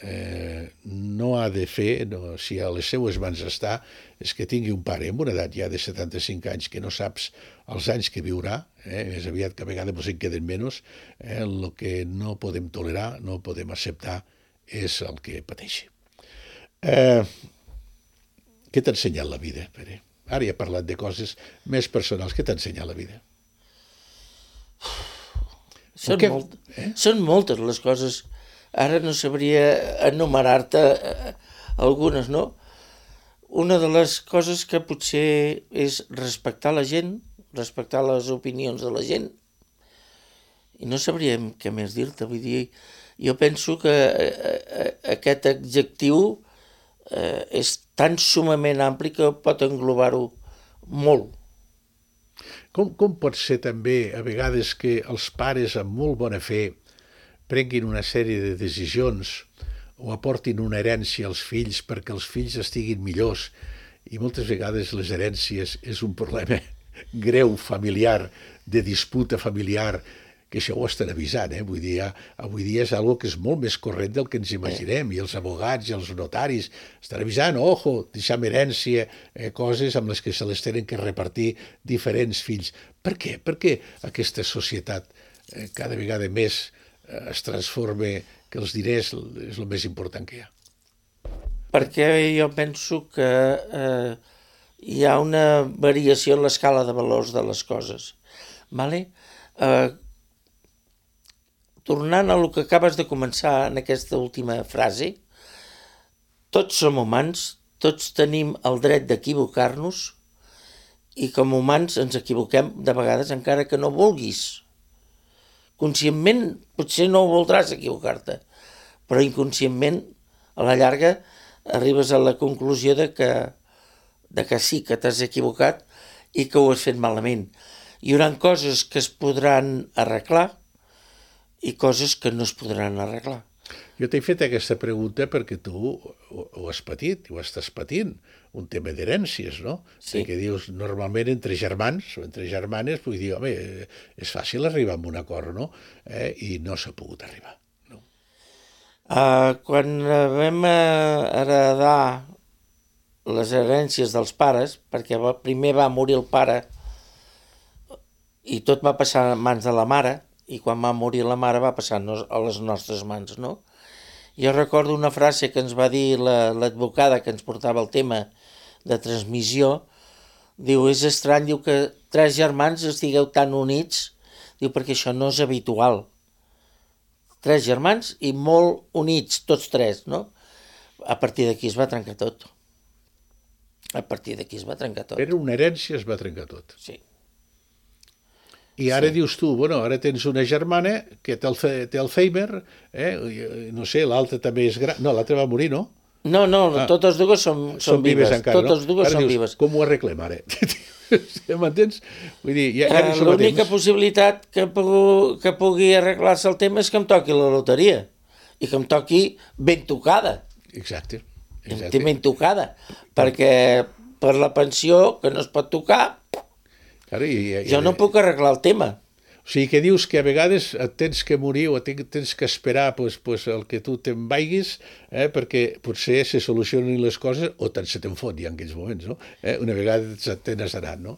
Speaker 2: Eh, no ha de fer, no, si a les seues mans està, és que tingui un pare amb una edat ja de setanta-cinc anys que no saps els anys que viurà, eh, més aviat que a vegades ens en queden menys, eh, el que no podem tolerar, no podem acceptar és el que pateixi. Eh, què t'ha ensenyat la vida, Pere? Ara ja he parlat de coses més personals. Què t'ha ensenyat la vida?
Speaker 3: Són, que... molt, eh? Són moltes les coses. Ara no sabria enumerar-te algunes, no? una de les coses que potser és respectar la gent, respectar les opinions de la gent, i no sabríem què més dir-te. Vull dir, jo penso que aquest adjectiu eh, és tan sumament ampli que pot englobar-ho molt.
Speaker 2: Com, com pot ser també a vegades que els pares amb molt bona fe prenguin una sèrie de decisions o aportin una herència als fills perquè els fills estiguin millors, i moltes vegades les herències és un problema greu familiar, de disputa familiar, que això ho estan avisant, eh? Vull dir, ja, avui dia és algo que és molt més corrent del que ens imaginem, i els abogats i els notaris estan avisant, ojo, deixem herència, eh, coses amb les que se les tenen que repartir diferents fills. Per què? Per què aquesta societat eh, cada vegada més eh, es transforma que els diners és el més important que hi ha?
Speaker 3: Perquè jo penso que eh, hi ha una variació en l'escala de valors de les coses. Vale? Eh, tornant a lo que acabes de començar en aquesta última frase, tots som humans, tots tenim el dret d'equivocar-nos, i com a humans ens equivoquem de vegades encara que no vulguis. Conscientment potser no ho voldràs equivocar-te, però inconscientment a la llarga arribes a la conclusió de que, de que sí, que t'has equivocat i que ho has fet malament. Hi haurà coses que es podran arreglar i coses que no es podran arreglar.
Speaker 2: Jo t'he fet aquesta pregunta perquè tu ho, ho has patit, ho estàs patint, un tema d'herències, no?
Speaker 3: Sí.
Speaker 2: Perquè dius, normalment entre germans o entre germanes, vull dir, home, és fàcil arribar a un acord, no? Eh? I no s'ha pogut arribar. No?
Speaker 3: Uh, quan vam heredar les herències dels pares, perquè va, primer va morir el pare i tot va passar a mans de la mare, i quan va morir la mare va passar a les nostres mans, no? Jo recordo una frase que ens va dir la, l'advocada que ens portava el tema de transmissió, diu, és estrany, diu, que tres germans estigueu tan units, diu, perquè això no és habitual. Tres germans i molt units, tots tres, no? A partir d'aquí es va trencar tot. A partir d'aquí es va trencar tot.
Speaker 2: Era una herència, es va trencar tot.
Speaker 3: Sí.
Speaker 2: I ara
Speaker 3: Sí.
Speaker 2: dius tu, bueno, ara tens una germana que té, el, té Alzheimer, eh? No sé, l'altra també és gran... No, l'altra va morir, no?
Speaker 3: No, no,
Speaker 2: Ah.
Speaker 3: totes dues són, són,
Speaker 2: Són vives
Speaker 3: vives.
Speaker 2: encara,
Speaker 3: Totes
Speaker 2: no?
Speaker 3: dues
Speaker 2: Ara
Speaker 3: són
Speaker 2: dius,
Speaker 3: vives.
Speaker 2: com ho arreglem ara? M'entens? Vull dir, ja, ja no
Speaker 3: Eh,
Speaker 2: som a
Speaker 3: L'única
Speaker 2: temps.
Speaker 3: possibilitat que, pu- que pugui arreglar-se el tema és que em toqui la loteria i que em toqui ben tocada,
Speaker 2: Exacte.
Speaker 3: em
Speaker 2: exacte.
Speaker 3: té ben tocada, perquè per la pensió que no es pot tocar,
Speaker 2: Claro, i, i,
Speaker 3: jo no puc arreglar el tema.
Speaker 2: O sigui que dius que a vegades et tens que morir o tens que esperar pues, pues, el que tu te'n vaiguis, eh, perquè potser se solucionin les coses o tant se te'n fot ja en aquells moments, no? Eh, una vegada te n'has anat, no?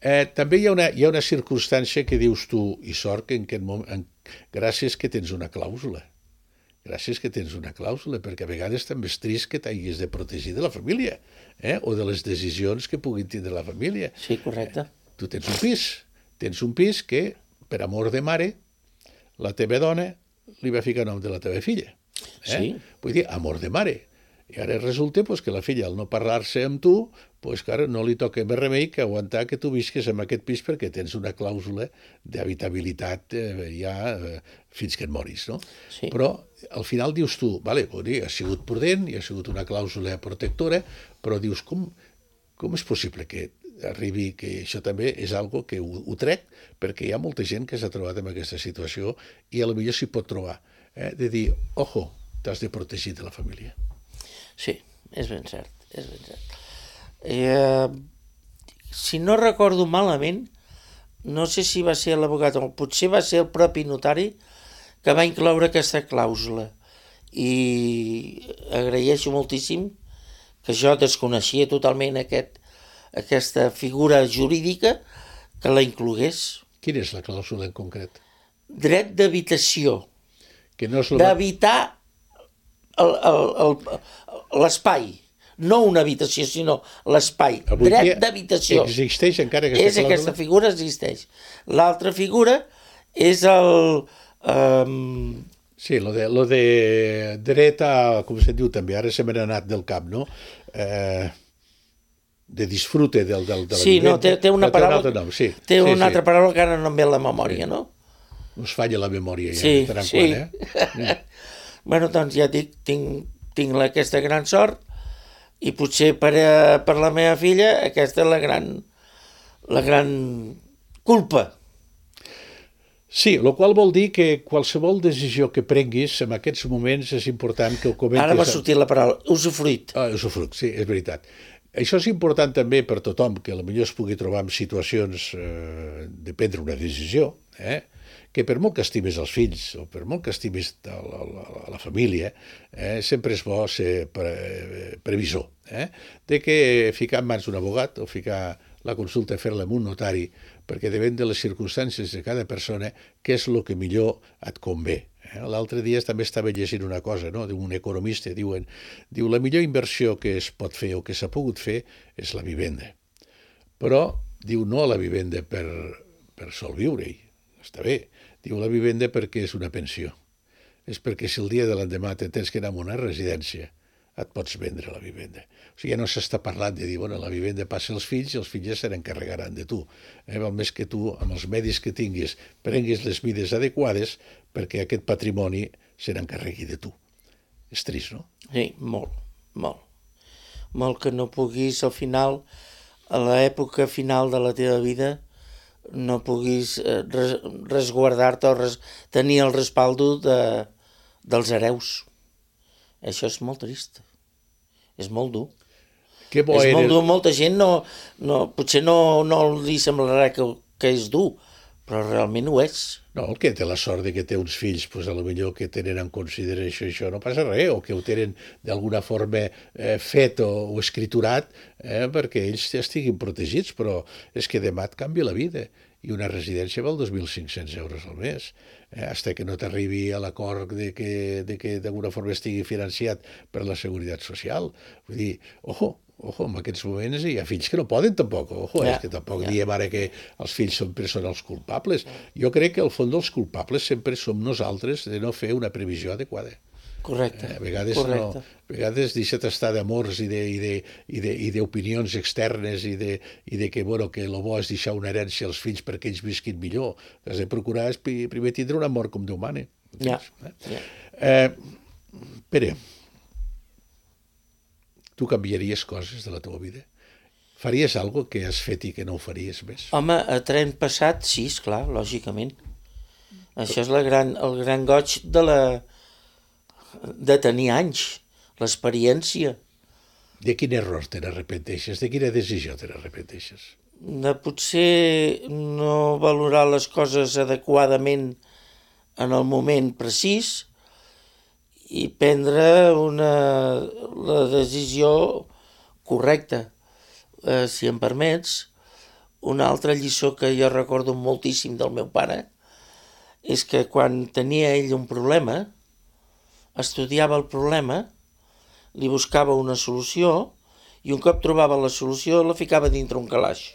Speaker 2: Eh, també hi ha, una, hi ha una circumstància que dius tu, i sort que en aquest moment, en, gràcies que tens una clàusula, gràcies que tens una clàusula, perquè a vegades també és trist que t'hagis de protegir de la família, eh, o de les decisions que puguin tindre la família.
Speaker 3: Sí, correcte.
Speaker 2: Tu tens un pis, tens un pis que, per amor de mare, la teva dona li va ficar nom de la teva filla. Eh?
Speaker 3: Sí.
Speaker 2: Vull dir, amor de mare. I ara resulta pues, que la filla, al no parlar-se amb tu, pues, clar, no li toca més remei que aguantar que tu visques en aquest pis perquè tens una clàusula d'habitabilitat eh, ja eh, fins que et moris, no?
Speaker 3: Sí.
Speaker 2: Però al final dius tu, vale, vull dir, ha sigut prudent, hi ha sigut una clàusula protectora, però dius, com, com és possible que arribi, que això també és algo que ho, ho trec, perquè hi ha molta gent que s'ha trobat en aquesta situació i a lo millor s'hi pot trobar, eh? De dir, ojo, t'has de protegir de la família.
Speaker 3: Sí, és ben cert, és ben cert. Eh, si no recordo malament, no sé si va ser l'abogat o potser va ser el propi notari que va incloure aquesta clàusula, i agraeixo moltíssim que jo desconeixia totalment aquest, aquesta figura jurídica que la inclogués.
Speaker 2: Quina és la clàusula en concret?
Speaker 3: Dret d'habitació,
Speaker 2: Que no és la...
Speaker 3: d'habitar el- el- el- l'espai, no una habitació, sinó l'espai,
Speaker 2: Avui dia
Speaker 3: dret d'habitació.
Speaker 2: Existeix encara aquesta
Speaker 3: És
Speaker 2: clàusula?
Speaker 3: aquesta figura existeix. L'altra figura és el... Um,
Speaker 2: Sí, lo de, lo de dret a, com se diu també, ara se me n'ha anat del cap, no? Eh, de disfrute del, del, de la
Speaker 3: sí,
Speaker 2: vivenda.
Speaker 3: No, té, té una
Speaker 2: té
Speaker 3: paraula,
Speaker 2: un altre nom, sí.
Speaker 3: té
Speaker 2: sí,
Speaker 3: una
Speaker 2: sí.
Speaker 3: altra paraula que ara no em ve a la memòria, sí. no?
Speaker 2: No es falla la memòria, ja,
Speaker 3: sí,
Speaker 2: de tant en
Speaker 3: sí.
Speaker 2: quan, eh?
Speaker 3: Bueno, doncs ja dic, tinc, tinc aquesta gran sort i potser per, a, per la meva filla aquesta és la gran, la gran culpa.
Speaker 2: Sí, el qual vol dir que qualsevol decisió que prenguis en aquests moments és important que ho comentis...
Speaker 3: Ara m'ha sortit la paraula, usufruit.
Speaker 2: Ah, usufruit, sí, és veritat. Això és important també per tothom que potser es pugui trobar en situacions eh, de prendre una decisió, eh? que per molt que estimis els fills o per molt que estimis la, la, la família, eh, sempre és bo ser pre, previsor. Eh? De que ficar en mans d'un abogat o ficar la consulta, fer-la amb un notari, perquè depèn de les circumstàncies de cada persona, què és el que millor et convé. Eh? L'altre dia també estava llegint una cosa, no? d'un economista, diuen, diu, la millor inversió que es pot fer o que s'ha pogut fer és la vivenda. Però, diu, no la vivenda per, per sol viure-hi, està bé. Diu, la vivenda perquè és una pensió. És perquè si el dia de l'endemà te tens que anar a una residència, et pots vendre la vivenda. O sigui, ja no s'està parlant de dir, bueno, la vivenda passa als fills i els fills ja se n'encarregaran de tu. Eh? Val més que tu, amb els medis que tinguis, prenguis les mides adequades perquè aquest patrimoni se n'encarregui de tu. És trist, no?
Speaker 3: Sí, molt, molt. Molt que no puguis, al final, a l'època final de la teva vida, no puguis res, resguardar-te o res, tenir el respaldo de, dels hereus. Això és molt trist. És molt dur.
Speaker 2: Que bo
Speaker 3: és
Speaker 2: era...
Speaker 3: molt dur. Molta gent no, no, potser no, no li semblarà que, que és dur, però realment ho és.
Speaker 2: No, el que té la sort de que té uns fills, pues, a lo millor que tenen en consideració això, no passa res, o que ho tenen d'alguna forma eh, fet o, o escriturat eh, perquè ells estiguin protegits, però és que demà et canvia la vida. I una residència val dos mil cinc-cents euros al mes, eh, fins que no t'arribi a l'acord de que, de que d'alguna forma estigui financiat per la Seguretat Social. Vull dir, ojo, ojo, en aquests moments hi ha fills que no poden tampoc, ojo, ja, és que tampoc ja. diem ara que els fills sempre són els culpables. Jo crec que al fons dels culpables sempre som nosaltres de no fer una previsió adequada.
Speaker 3: Correcte.
Speaker 2: Eh, a vegades
Speaker 3: correcte.
Speaker 2: no, a vegades deixa't estar d'amors i de, i de, i de, i d'opinions externes i de, i de que, bueno, que el bo és deixar una herència als fills perquè ells visquin millor. Has de procurar és primer tindre una mort com Déu mana.
Speaker 3: Ja.
Speaker 2: Eh?
Speaker 3: ja.
Speaker 2: Eh, Pere, tu canviaries coses de la teva vida? Faries alguna que has fet i que no ho faries més?
Speaker 3: Home, a tren passat, sí, esclar, lògicament. Això és la gran, el gran goig de la de tenir anys, l'experiència.
Speaker 2: De quin error te n'arrepenteixes? De quina decisió te n'arrepenteixes?
Speaker 3: De potser no valorar les coses adequadament en el moment precís i prendre una, la decisió correcta. Eh, si em permets, una altra lliçó que jo recordo moltíssim del meu pare és que quan tenia ell un problema, estudiava el problema, li buscava una solució i un cop trobava la solució la ficava dintre un calaix.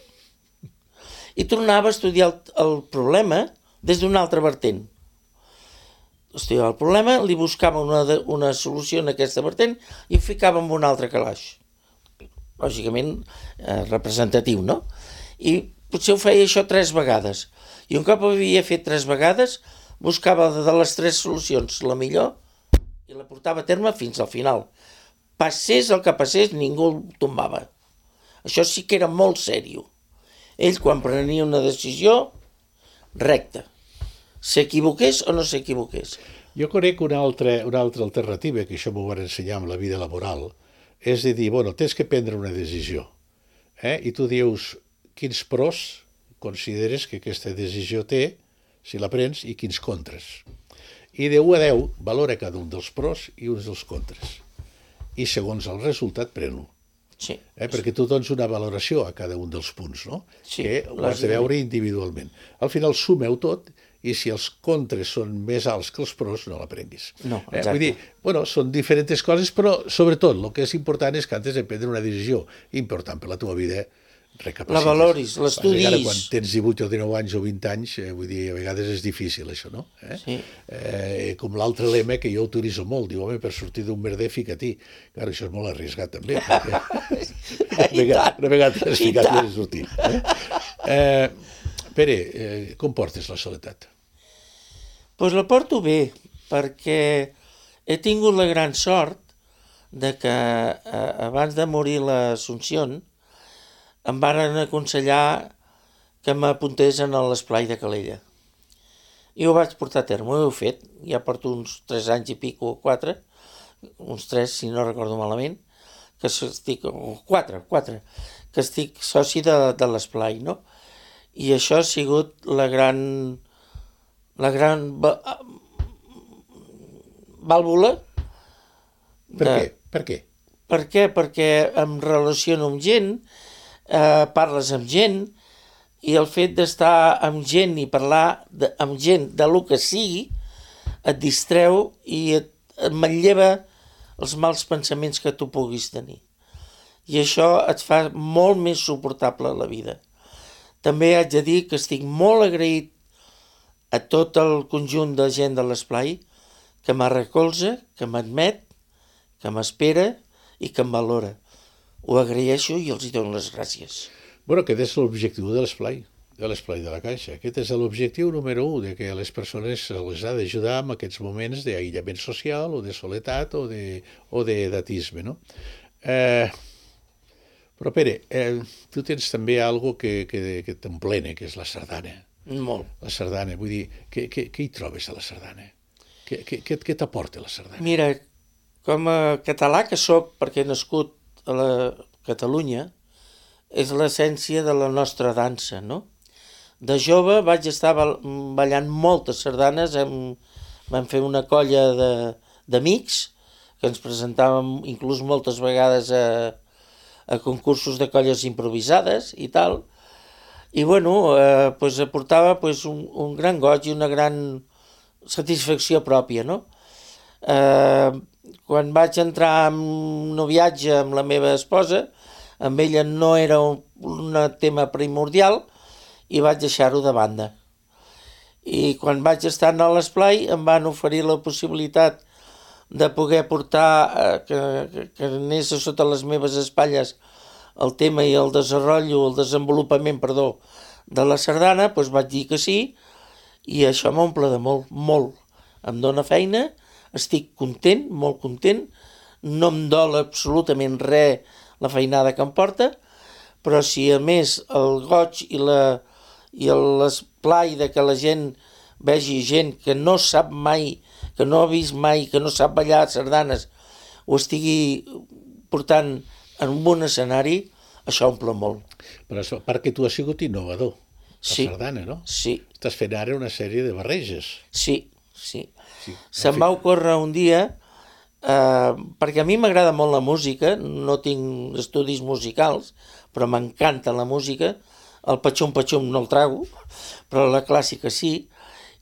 Speaker 3: I tornava a estudiar el, el problema des d'un altre vertent. Estudiava el problema, li buscava una, una solució en aquesta vertent i ho ficava en un altre calaix. Lògicament eh, representatiu, no? I potser ho feia això tres vegades. I un cop ho havia fet tres vegades, buscava de les tres solucions la millor i la portava a terme fins al final. Passés el que passés, ningú el tombava. Això sí que era molt sèrio. Ell, quan prenia una decisió, recta. S'equivoqués o no s'equivoqués.
Speaker 2: Jo conec una altra, una altra alternativa, que això m'ho van ensenyar amb la vida laboral, és de dir, bueno, tens que prendre una decisió. Eh? I tu dius quins pros consideres que aquesta decisió té, si la prens, i quins contres. I de u a deu valora cada un dels pros i uns dels contres. I segons el resultat pren-ho.
Speaker 3: Sí.
Speaker 2: Eh? Perquè tu dones una valoració a cada un dels punts, no?
Speaker 3: Sí,
Speaker 2: que ho has de veure individualment. Al final sumeu tot i si els contres són més alts que els pros, no la prenguis.
Speaker 3: No,
Speaker 2: eh? Vull dir, bueno, són diferents coses, però sobretot el que és important és que antes de prendre una decisió important per la teva vida, recapacites.
Speaker 3: La valoris, l'estudis.
Speaker 2: Ara, quan tens divuit o dinou anys o vint anys, eh, vull dir, a vegades és difícil això, no? Eh?
Speaker 3: Sí.
Speaker 2: Eh, com l'altre lema que jo utilitzo molt, diu, home, per sortir d'un merder, fica-t'hi. Clar, això és molt arriscat també. Perquè...
Speaker 3: I
Speaker 2: vegada,
Speaker 3: tant.
Speaker 2: una vegada t'has
Speaker 3: I
Speaker 2: ficat i
Speaker 3: tant.
Speaker 2: has sortit. Eh? Eh, Pere, eh, com portes la soledat?
Speaker 3: Doncs pues la porto bé, perquè he tingut la gran sort de que eh, abans de morir l'Assumpció em varen aconsellar que m'apuntés en l'esplai de Calella. I ho vaig portar a terme, ho he fet, ja porto uns tres anys i pico, o quatre, uns tres, si no recordo malament, que estic, o quatre, quatre, que estic soci de, de l'esplai, no? I això ha sigut la gran, la gran vàlvula.
Speaker 2: Per
Speaker 3: de,
Speaker 2: què? Per què?
Speaker 3: Per què? Perquè em relaciono amb gent, eh, parles amb gent, i el fet d'estar amb gent i parlar de, amb gent de lo que sigui et distreu i et, et manlleva els mals pensaments que tu puguis tenir. I això et fa molt més suportable la vida. També haig de dir que estic molt agraït a tot el conjunt de gent de l'esplai que me recolza, que m'admet, que m'espera i que em valora. Ho agraeixo i els hi dono les gràcies.
Speaker 2: Bueno, aquest és l'objectiu de l'esplai, de l'esplai de la Caixa. Aquest és l'objectiu número un, de que les persones les ha d'ajudar en aquests moments d'aïllament social o de soledat o de, o d'edatisme, no? Eh, però, Pere, eh, tu tens també algo que, que, que t'emplena, que és la sardana.
Speaker 3: Molt.
Speaker 2: La sardana, vull dir, què, què, què hi trobes a la sardana? Què, què, què, què t'aporta la sardana?
Speaker 3: Mira, com a català que sóc, perquè he nascut a la Catalunya, és l'essència de la nostra dansa, no? De jove vaig estar ballant moltes sardanes, hem, vam fer una colla d'amics que ens presentàvem inclús moltes vegades a, a concursos de colles improvisades i tal, i bueno, eh, pues aportava pues, un, un gran goig i una gran satisfacció pròpia, no? Eh, quan vaig entrar en noviatge amb la meva esposa, amb ella no era un, un tema primordial i vaig deixar-ho de banda. I quan vaig estar a l'esplai em van oferir la possibilitat de poder portar, eh, que, que, que anés sota les meves espatlles el tema i el desenvolupament, el desenvolupament, perdó, de la sardana, doncs vaig dir que sí, i això m'omple de molt, molt. Em dóna feina, estic content, molt content, no em dol absolutament res la feinada que em porta, però si a més el goig i la i l'esplai de que la gent vegi gent que no sap mai, que no ha vist mai, que no sap ballar sardanes, ho estigui portant en un escenari, això omple molt.
Speaker 2: Però a part que tu has sigut innovador, la
Speaker 3: Sí,
Speaker 2: sardana, no?
Speaker 3: sí,
Speaker 2: Estàs fent ara una sèrie de barreges.
Speaker 3: sí, sí.
Speaker 2: Sí.
Speaker 3: Se'm va ocórrer un dia, eh, perquè a mi m'agrada molt la música, no tinc estudis musicals, però m'encanta la música, el patxum-patxum no el trago, però la clàssica sí,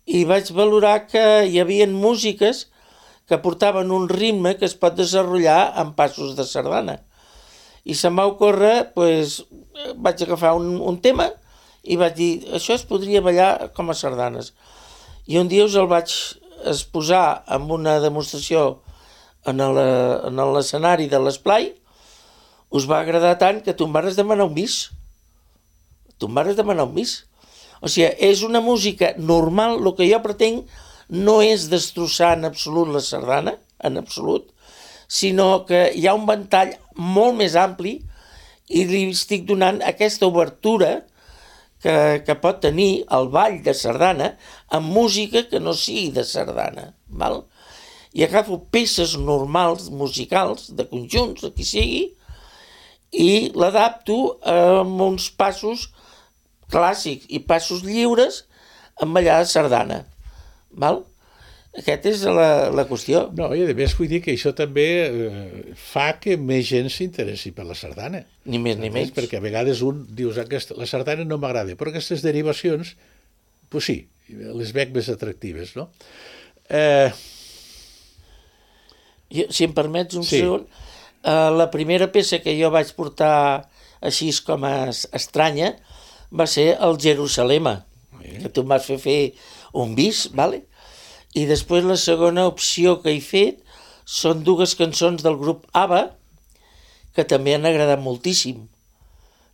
Speaker 3: i vaig valorar que hi havia músiques que portaven un ritme que es pot desenvolupar en passos de sardana. I se'm va ocórrer, doncs, vaig agafar un, un tema i vaig dir, això es podria ballar com a sardanes. I un dia us el vaig exposar amb una demostració en l'escenari de l'esplai, us va agradar tant que tu em vas demanar un bis. Tu em vas demanar un bis. O sigui, és una música normal, el que jo pretenc no és destrossar en absolut la sardana, en absolut, sinó que hi ha un ventall molt més ampli i li estic donant aquesta obertura que, que pot tenir el ball de sardana amb música que no sigui de sardana. Val? I agafo peces normals, musicals, de conjunts, de qui sigui, i l'adapto amb uns passos clàssics i passos lliures amb ballar de sardana. Val? Aquesta és la, la qüestió.
Speaker 2: No, i a més vull dir que això també eh, fa que més gent s'interessi per la sardana.
Speaker 3: Ni més ni menys.
Speaker 2: Perquè a vegades un dius, aquesta, la sardana no m'agrada, però aquestes derivacions, doncs sí, les veig més atractives, no? Eh...
Speaker 3: Jo, si em permets un
Speaker 2: Sí.
Speaker 3: segon, eh, la primera peça que jo vaig portar així com a estranya va ser el Jerusalema,
Speaker 2: Sí.
Speaker 3: que tu em vas fer fer un bis, vale? I després la segona opció que he fet són dues cançons del grup ABBA, que també han agradat moltíssim.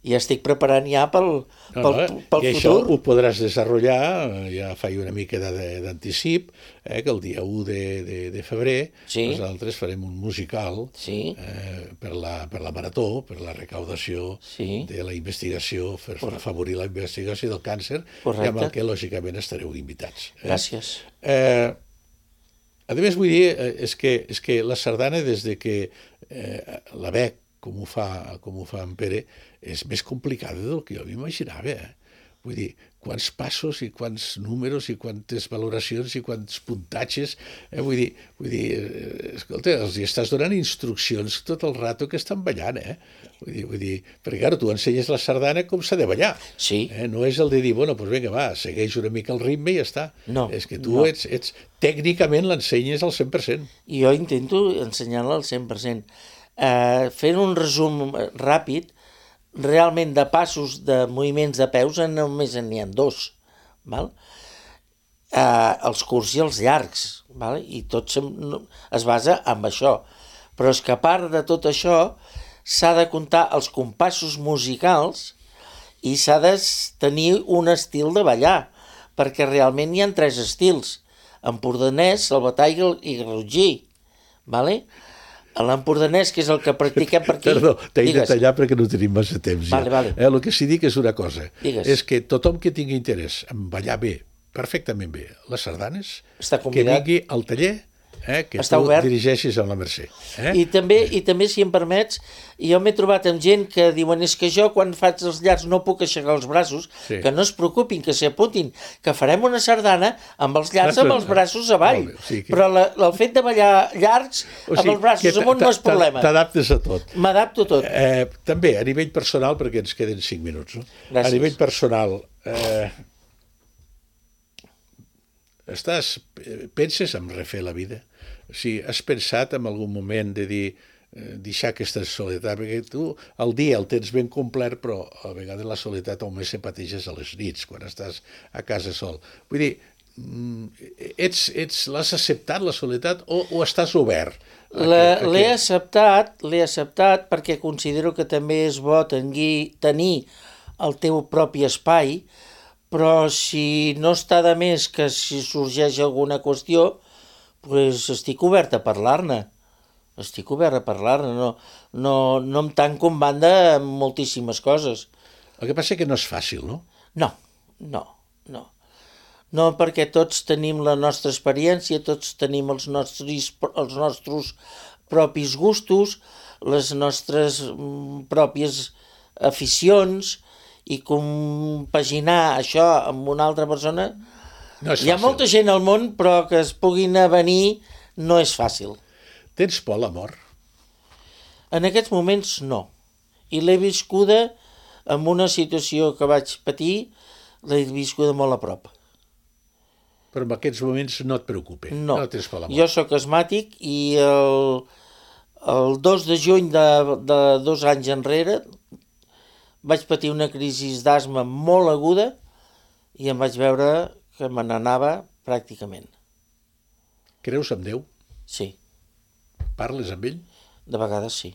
Speaker 3: I estic preparant ja pel, pel,
Speaker 2: No, no,
Speaker 3: pel
Speaker 2: I això
Speaker 3: futur.
Speaker 2: ho podràs desenvolupar, ja faig una mica de- d'anticip, eh, que el dia u de, de, de febrer
Speaker 3: Sí.
Speaker 2: nosaltres farem un musical
Speaker 3: Sí.
Speaker 2: eh, per, la, per la marató, per la recaudació
Speaker 3: Sí.
Speaker 2: de la investigació, per, per afavorir la investigació del càncer,
Speaker 3: Correcte.
Speaker 2: i amb el que lògicament estareu invitats. Eh?
Speaker 3: Gràcies.
Speaker 2: Eh, a més, vull dir, eh, és que, és que la sardana, des de que eh, la veig com ho fa, com ho fa en Pere, és més complicada del que jo m'imaginava. Eh? Vull dir, quants passos i quants números i quantes valoracions i quants puntatges. Eh? Vull dir, vull dir eh, escolta, els hi estàs donant instruccions tot el rato que estan ballant. Eh? Vull dir, vull dir, perquè, clar, tu ensenyes la sardana com s'ha de ballar.
Speaker 3: Sí.
Speaker 2: Eh? No és el de dir, bueno, doncs vinga, va, segueix una mica el ritme i ja està.
Speaker 3: No,
Speaker 2: És que tu
Speaker 3: no.
Speaker 2: ets, ets, tècnicament l'ensenyes al cent per cent.
Speaker 3: I jo intento ensenyar-la al cent per cent. Eh, fent un resum ràpid, realment de passos, de moviments de peus, només n'hi ha dos. Val? Eh, els curts i els llargs. Val? I tot sem- no- es basa en això. Però és que a part de tot això, s'ha de comptar els compassos musicals i s'ha de s- tenir un estil de ballar, perquè realment hi ha tres estils: empordanès, salvatà i gal- i garrotgí. Vale? L'empordanès, que és el que practiquem per aquí...
Speaker 2: Perdó, t'he de
Speaker 3: Digues.
Speaker 2: tallar perquè no tenim massa temps ja.
Speaker 3: Vale, vale.
Speaker 2: Eh, el que sí dic és una cosa,
Speaker 3: Digues.
Speaker 2: és que tothom que tingui interès en ballar bé, perfectament bé, les sardanes,
Speaker 3: Està
Speaker 2: que
Speaker 3: convidat.
Speaker 2: vingui al taller, eh, que
Speaker 3: Està
Speaker 2: tu
Speaker 3: obert.
Speaker 2: dirigeixis amb la Mercè. Eh?
Speaker 3: I també, I també, si em permets, jo m'he trobat amb gent que diuen és que jo quan faig els llargs no puc aixecar els braços,
Speaker 2: Sí.
Speaker 3: que no es preocupin, que s'hi apuntin, que farem una sardana amb els llargs
Speaker 2: Ah,
Speaker 3: amb
Speaker 2: però-
Speaker 3: els braços avall.
Speaker 2: Molt bé, o sigui que-
Speaker 3: Però la, el fet de ballar llargs
Speaker 2: O
Speaker 3: amb
Speaker 2: sigui,
Speaker 3: els braços
Speaker 2: que
Speaker 3: amunt no és
Speaker 2: t'a- t'a-
Speaker 3: problema.
Speaker 2: T'adaptes a tot.
Speaker 3: M'adapto a tot.
Speaker 2: Eh, també, a nivell personal, perquè ens queden cinc minuts, no?
Speaker 3: Gràcies.
Speaker 2: A nivell personal, eh, estàs, penses en refer la vida? O sigui, has pensat en algun moment de dir, eh, deixar aquesta soledat? Perquè tu el dia el tens ben complet, però a vegades la soledat només se pateixes a les nits, quan estàs a casa sol. Vull dir, mm, ets, ets, l'has acceptat, la soledat, o, o estàs obert? a
Speaker 3: La-
Speaker 2: que- a
Speaker 3: L'he
Speaker 2: que-
Speaker 3: acceptat, l'he acceptat perquè considero que també és bo tenir, tenir el teu propi espai, però si no està de més que si sorgeix alguna qüestió, pues estic obert a parlar-ne. Estic obert a parlar-ne. No, no, no em tanco en banda en moltíssimes coses.
Speaker 2: El que passa és que no és fàcil, no?
Speaker 3: No, no, no. No, perquè tots tenim la nostra experiència, tots tenim els nostres, els nostres propis gustos, les nostres mm, pròpies aficions, i compaginar això amb una altra persona...
Speaker 2: No és
Speaker 3: Hi ha
Speaker 2: fàcil.
Speaker 3: molta gent al món, però que es puguin avenir no és fàcil.
Speaker 2: Tens por a la mort?
Speaker 3: En aquests moments no. I l'he viscuda en una situació que vaig patir, l'he viscuda molt a prop.
Speaker 2: Però en aquests moments no et preocupa.
Speaker 3: No,
Speaker 2: No tens por a la mort.
Speaker 3: jo sóc asmàtic i el, el dos de juny de, de dos anys enrere vaig patir una crisi d'asma molt aguda i em vaig veure que me n'anava pràcticament.
Speaker 2: Creus en Déu?
Speaker 3: Sí,
Speaker 2: Parles amb ell?
Speaker 3: de vegades sí.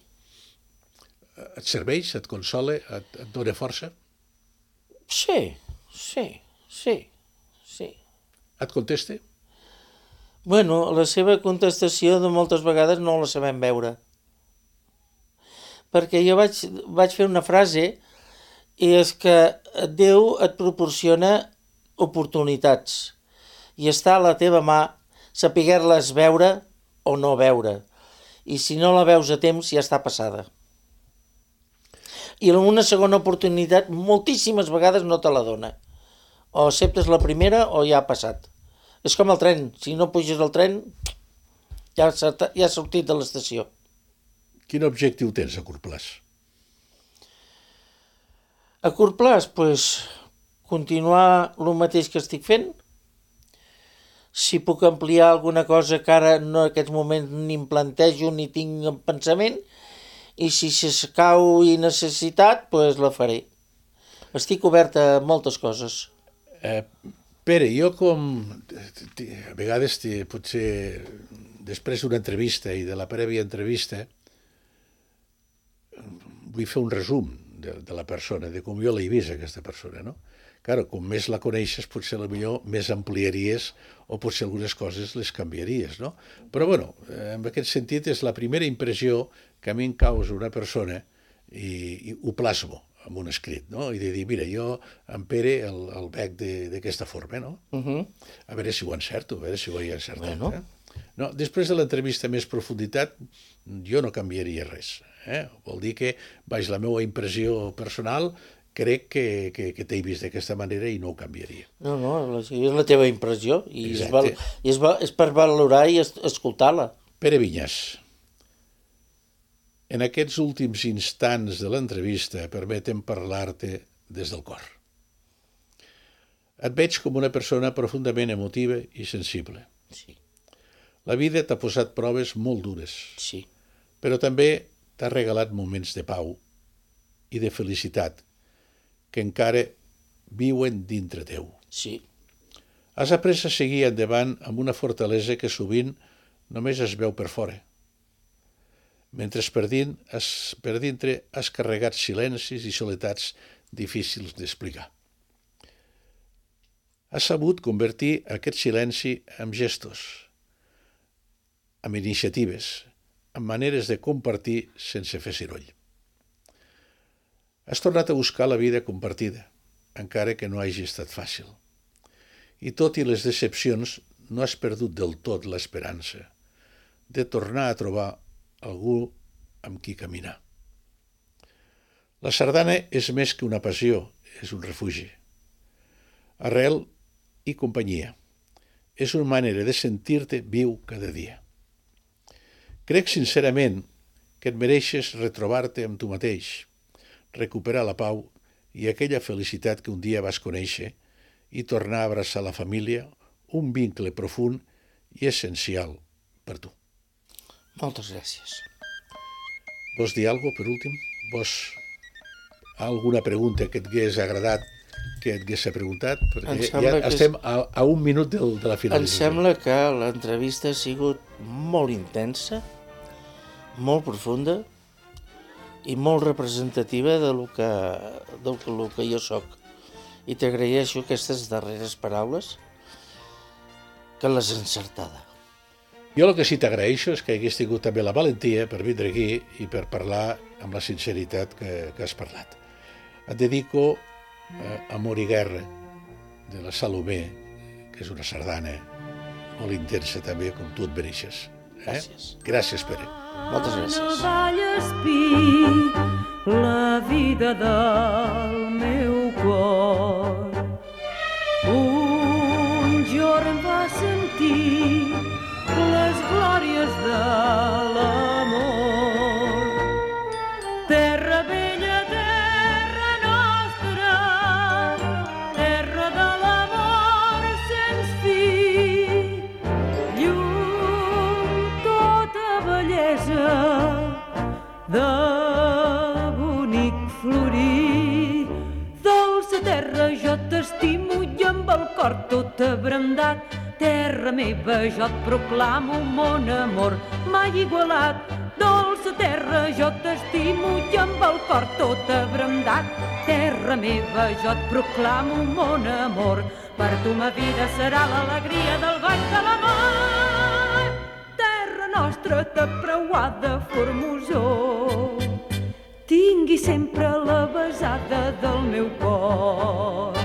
Speaker 2: Et serveix? Et consola? Et, et dona força?
Speaker 3: Sí, sí, sí, sí.
Speaker 2: Et contesta?
Speaker 3: Bueno, la seva contestació de moltes vegades no la sabem veure. Perquè jo vaig, vaig fer una frase i és que Déu et proporciona oportunitats i està a la teva mà saber-les veure o no veure. I si no la veus a temps ja està passada. I una segona oportunitat moltíssimes vegades no te la dona. O acceptes la primera o ja ha passat. És com el tren, si no puges al tren ja s'ha ja ha sortit de l'estació.
Speaker 2: Quin objectiu tens a curt plaç?
Speaker 3: A curt plaç, pues, continuar el mateix que estic fent. Si puc ampliar alguna cosa que ara no en aquests moments ni em plantejo ni tinc en pensament, i si s'escau i necessitat, pues la faré. Estic obert a moltes coses.
Speaker 2: Eh, Pere, jo com... A vegades, potser després d'una entrevista i de la prèvia entrevista, vull fer un resum de, de la persona, de com jo l'he vist, aquesta persona, no? Claro, com més la coneixes, potser millor més ampliaries o potser algunes coses les canviaries, no? Però, bueno, en aquest sentit és la primera impressió que a mi em causa una persona i, i ho plasmo en un escrit, no? I de dir, mira, jo en Pere el, el veig d'aquesta forma, no?
Speaker 3: Uh -huh.
Speaker 2: A veure si ho encerto, a veure si ho he encertat.
Speaker 3: Bueno.
Speaker 2: Eh? No, després de l'entrevista més profunditat, jo no canviaria res. Eh? Vol dir que, baix la meva impressió personal, crec que, que, que t'he vist d'aquesta manera i no ho canviaria.
Speaker 3: No, no, és la teva impressió i és,
Speaker 2: Exacte.
Speaker 3: val, i és, val, és per valorar i es, escoltar-la.
Speaker 2: Pere Vinyes, en aquests últims instants de l'entrevista permetem parlar-te des del cor. Et veig com una persona profundament emotiva i sensible.
Speaker 3: Sí,
Speaker 2: La vida t'ha posat proves molt dures,
Speaker 3: sí,
Speaker 2: però també t'ha regalat moments de pau i de felicitat que encara viuen dintre teu.
Speaker 3: sí,
Speaker 2: Has après a seguir endavant amb una fortalesa que sovint només es veu per fora. Mentre per, dins, has, per dintre has carregat silencis i soletats difícils d'explicar. Has sabut convertir aquest silenci en gestos, amb iniciatives, amb maneres de compartir sense fer soroll. Has tornat a buscar la vida compartida, encara que no hagi estat fàcil. I tot i les decepcions, no has perdut del tot l'esperança de tornar a trobar algú amb qui caminar. La sardana és més que una passió, és un refugi. Arrel i companyia. És una manera de sentir-te viu cada dia. Crec sincerament que et mereixes retrobar-te amb tu mateix, recuperar la pau i aquella felicitat que un dia vas conèixer i tornar a abraçar la família, un vincle profund i essencial per tu.
Speaker 3: moltes gràcies.
Speaker 2: Vols dir alguna cosa, per últim? Vols alguna pregunta que et hagués agradat que et hagués preguntat?
Speaker 3: Em
Speaker 2: Perquè
Speaker 3: sembla
Speaker 2: ja
Speaker 3: que
Speaker 2: estem a, a un minut de, de la
Speaker 3: Em
Speaker 2: finalització.
Speaker 3: sembla que l'entrevista ha sigut molt intensa, molt profunda i molt representativa de lo que, del que, lo que jo sóc. I t'agraeixo aquestes darreres paraules, que les encertada.
Speaker 2: Jo el que sí t'agraeixo és que hagués tingut també la valentia per vindre aquí i per parlar amb la sinceritat que, que has parlat. Et dedico eh, Amor i guerra, de la Salomé, que és una sardana molt intensa també, com tu et mereixes. Eh?
Speaker 3: Gràcies.
Speaker 2: Gràcies, Pere.
Speaker 3: Moltes gràcies.
Speaker 4: Vallespí, la vida del meu cor. Un jorn va sentir les glòries de l'amor. Terra vella, terra nostra, terra de l'amor sens fi, llum, tota bellesa de bonic florir. Dolça terra, jo t'estimo i amb el cor tot abrandat. Terra meva, jo et proclamo mon amor mai igualat. Dolça terra, jo t'estimo i amb el cor tot abrandat. Terra meva, jo et proclamo mon amor. Per tu ma vida serà l'alegria del ball de l'amor. Terra nostra, tapreuada, formosor, tingui sempre la besada del meu cor.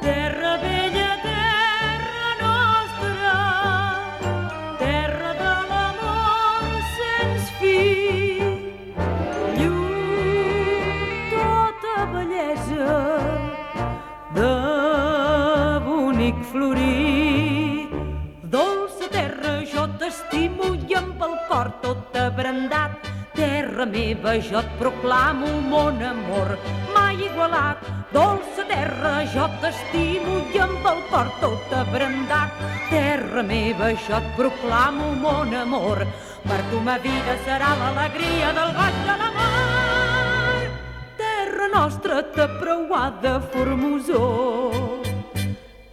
Speaker 4: Terra vella, terra nostra, terra de l'amor sens fi, llum, tota bellesa de bonic florir. Dolça terra, jo t'estimo i amb el cor tot abrandat. Terra meva, jo et proclamo mon amor mai igualat. dolça terra, jo t'estimo i amb el cor tot abrandat. Terra meva, jo et proclamo mon amor, per tu ma vida serà l'alegria del goig de l'amor. Terra nostra tapreuada formosor,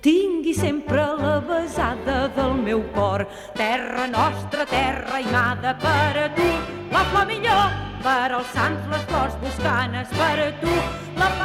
Speaker 4: tingui sempre la besada del meu cor. Terra nostra, terra aimada, per a tu la flor millor, per als sants les flors boscanes, per a tu la flor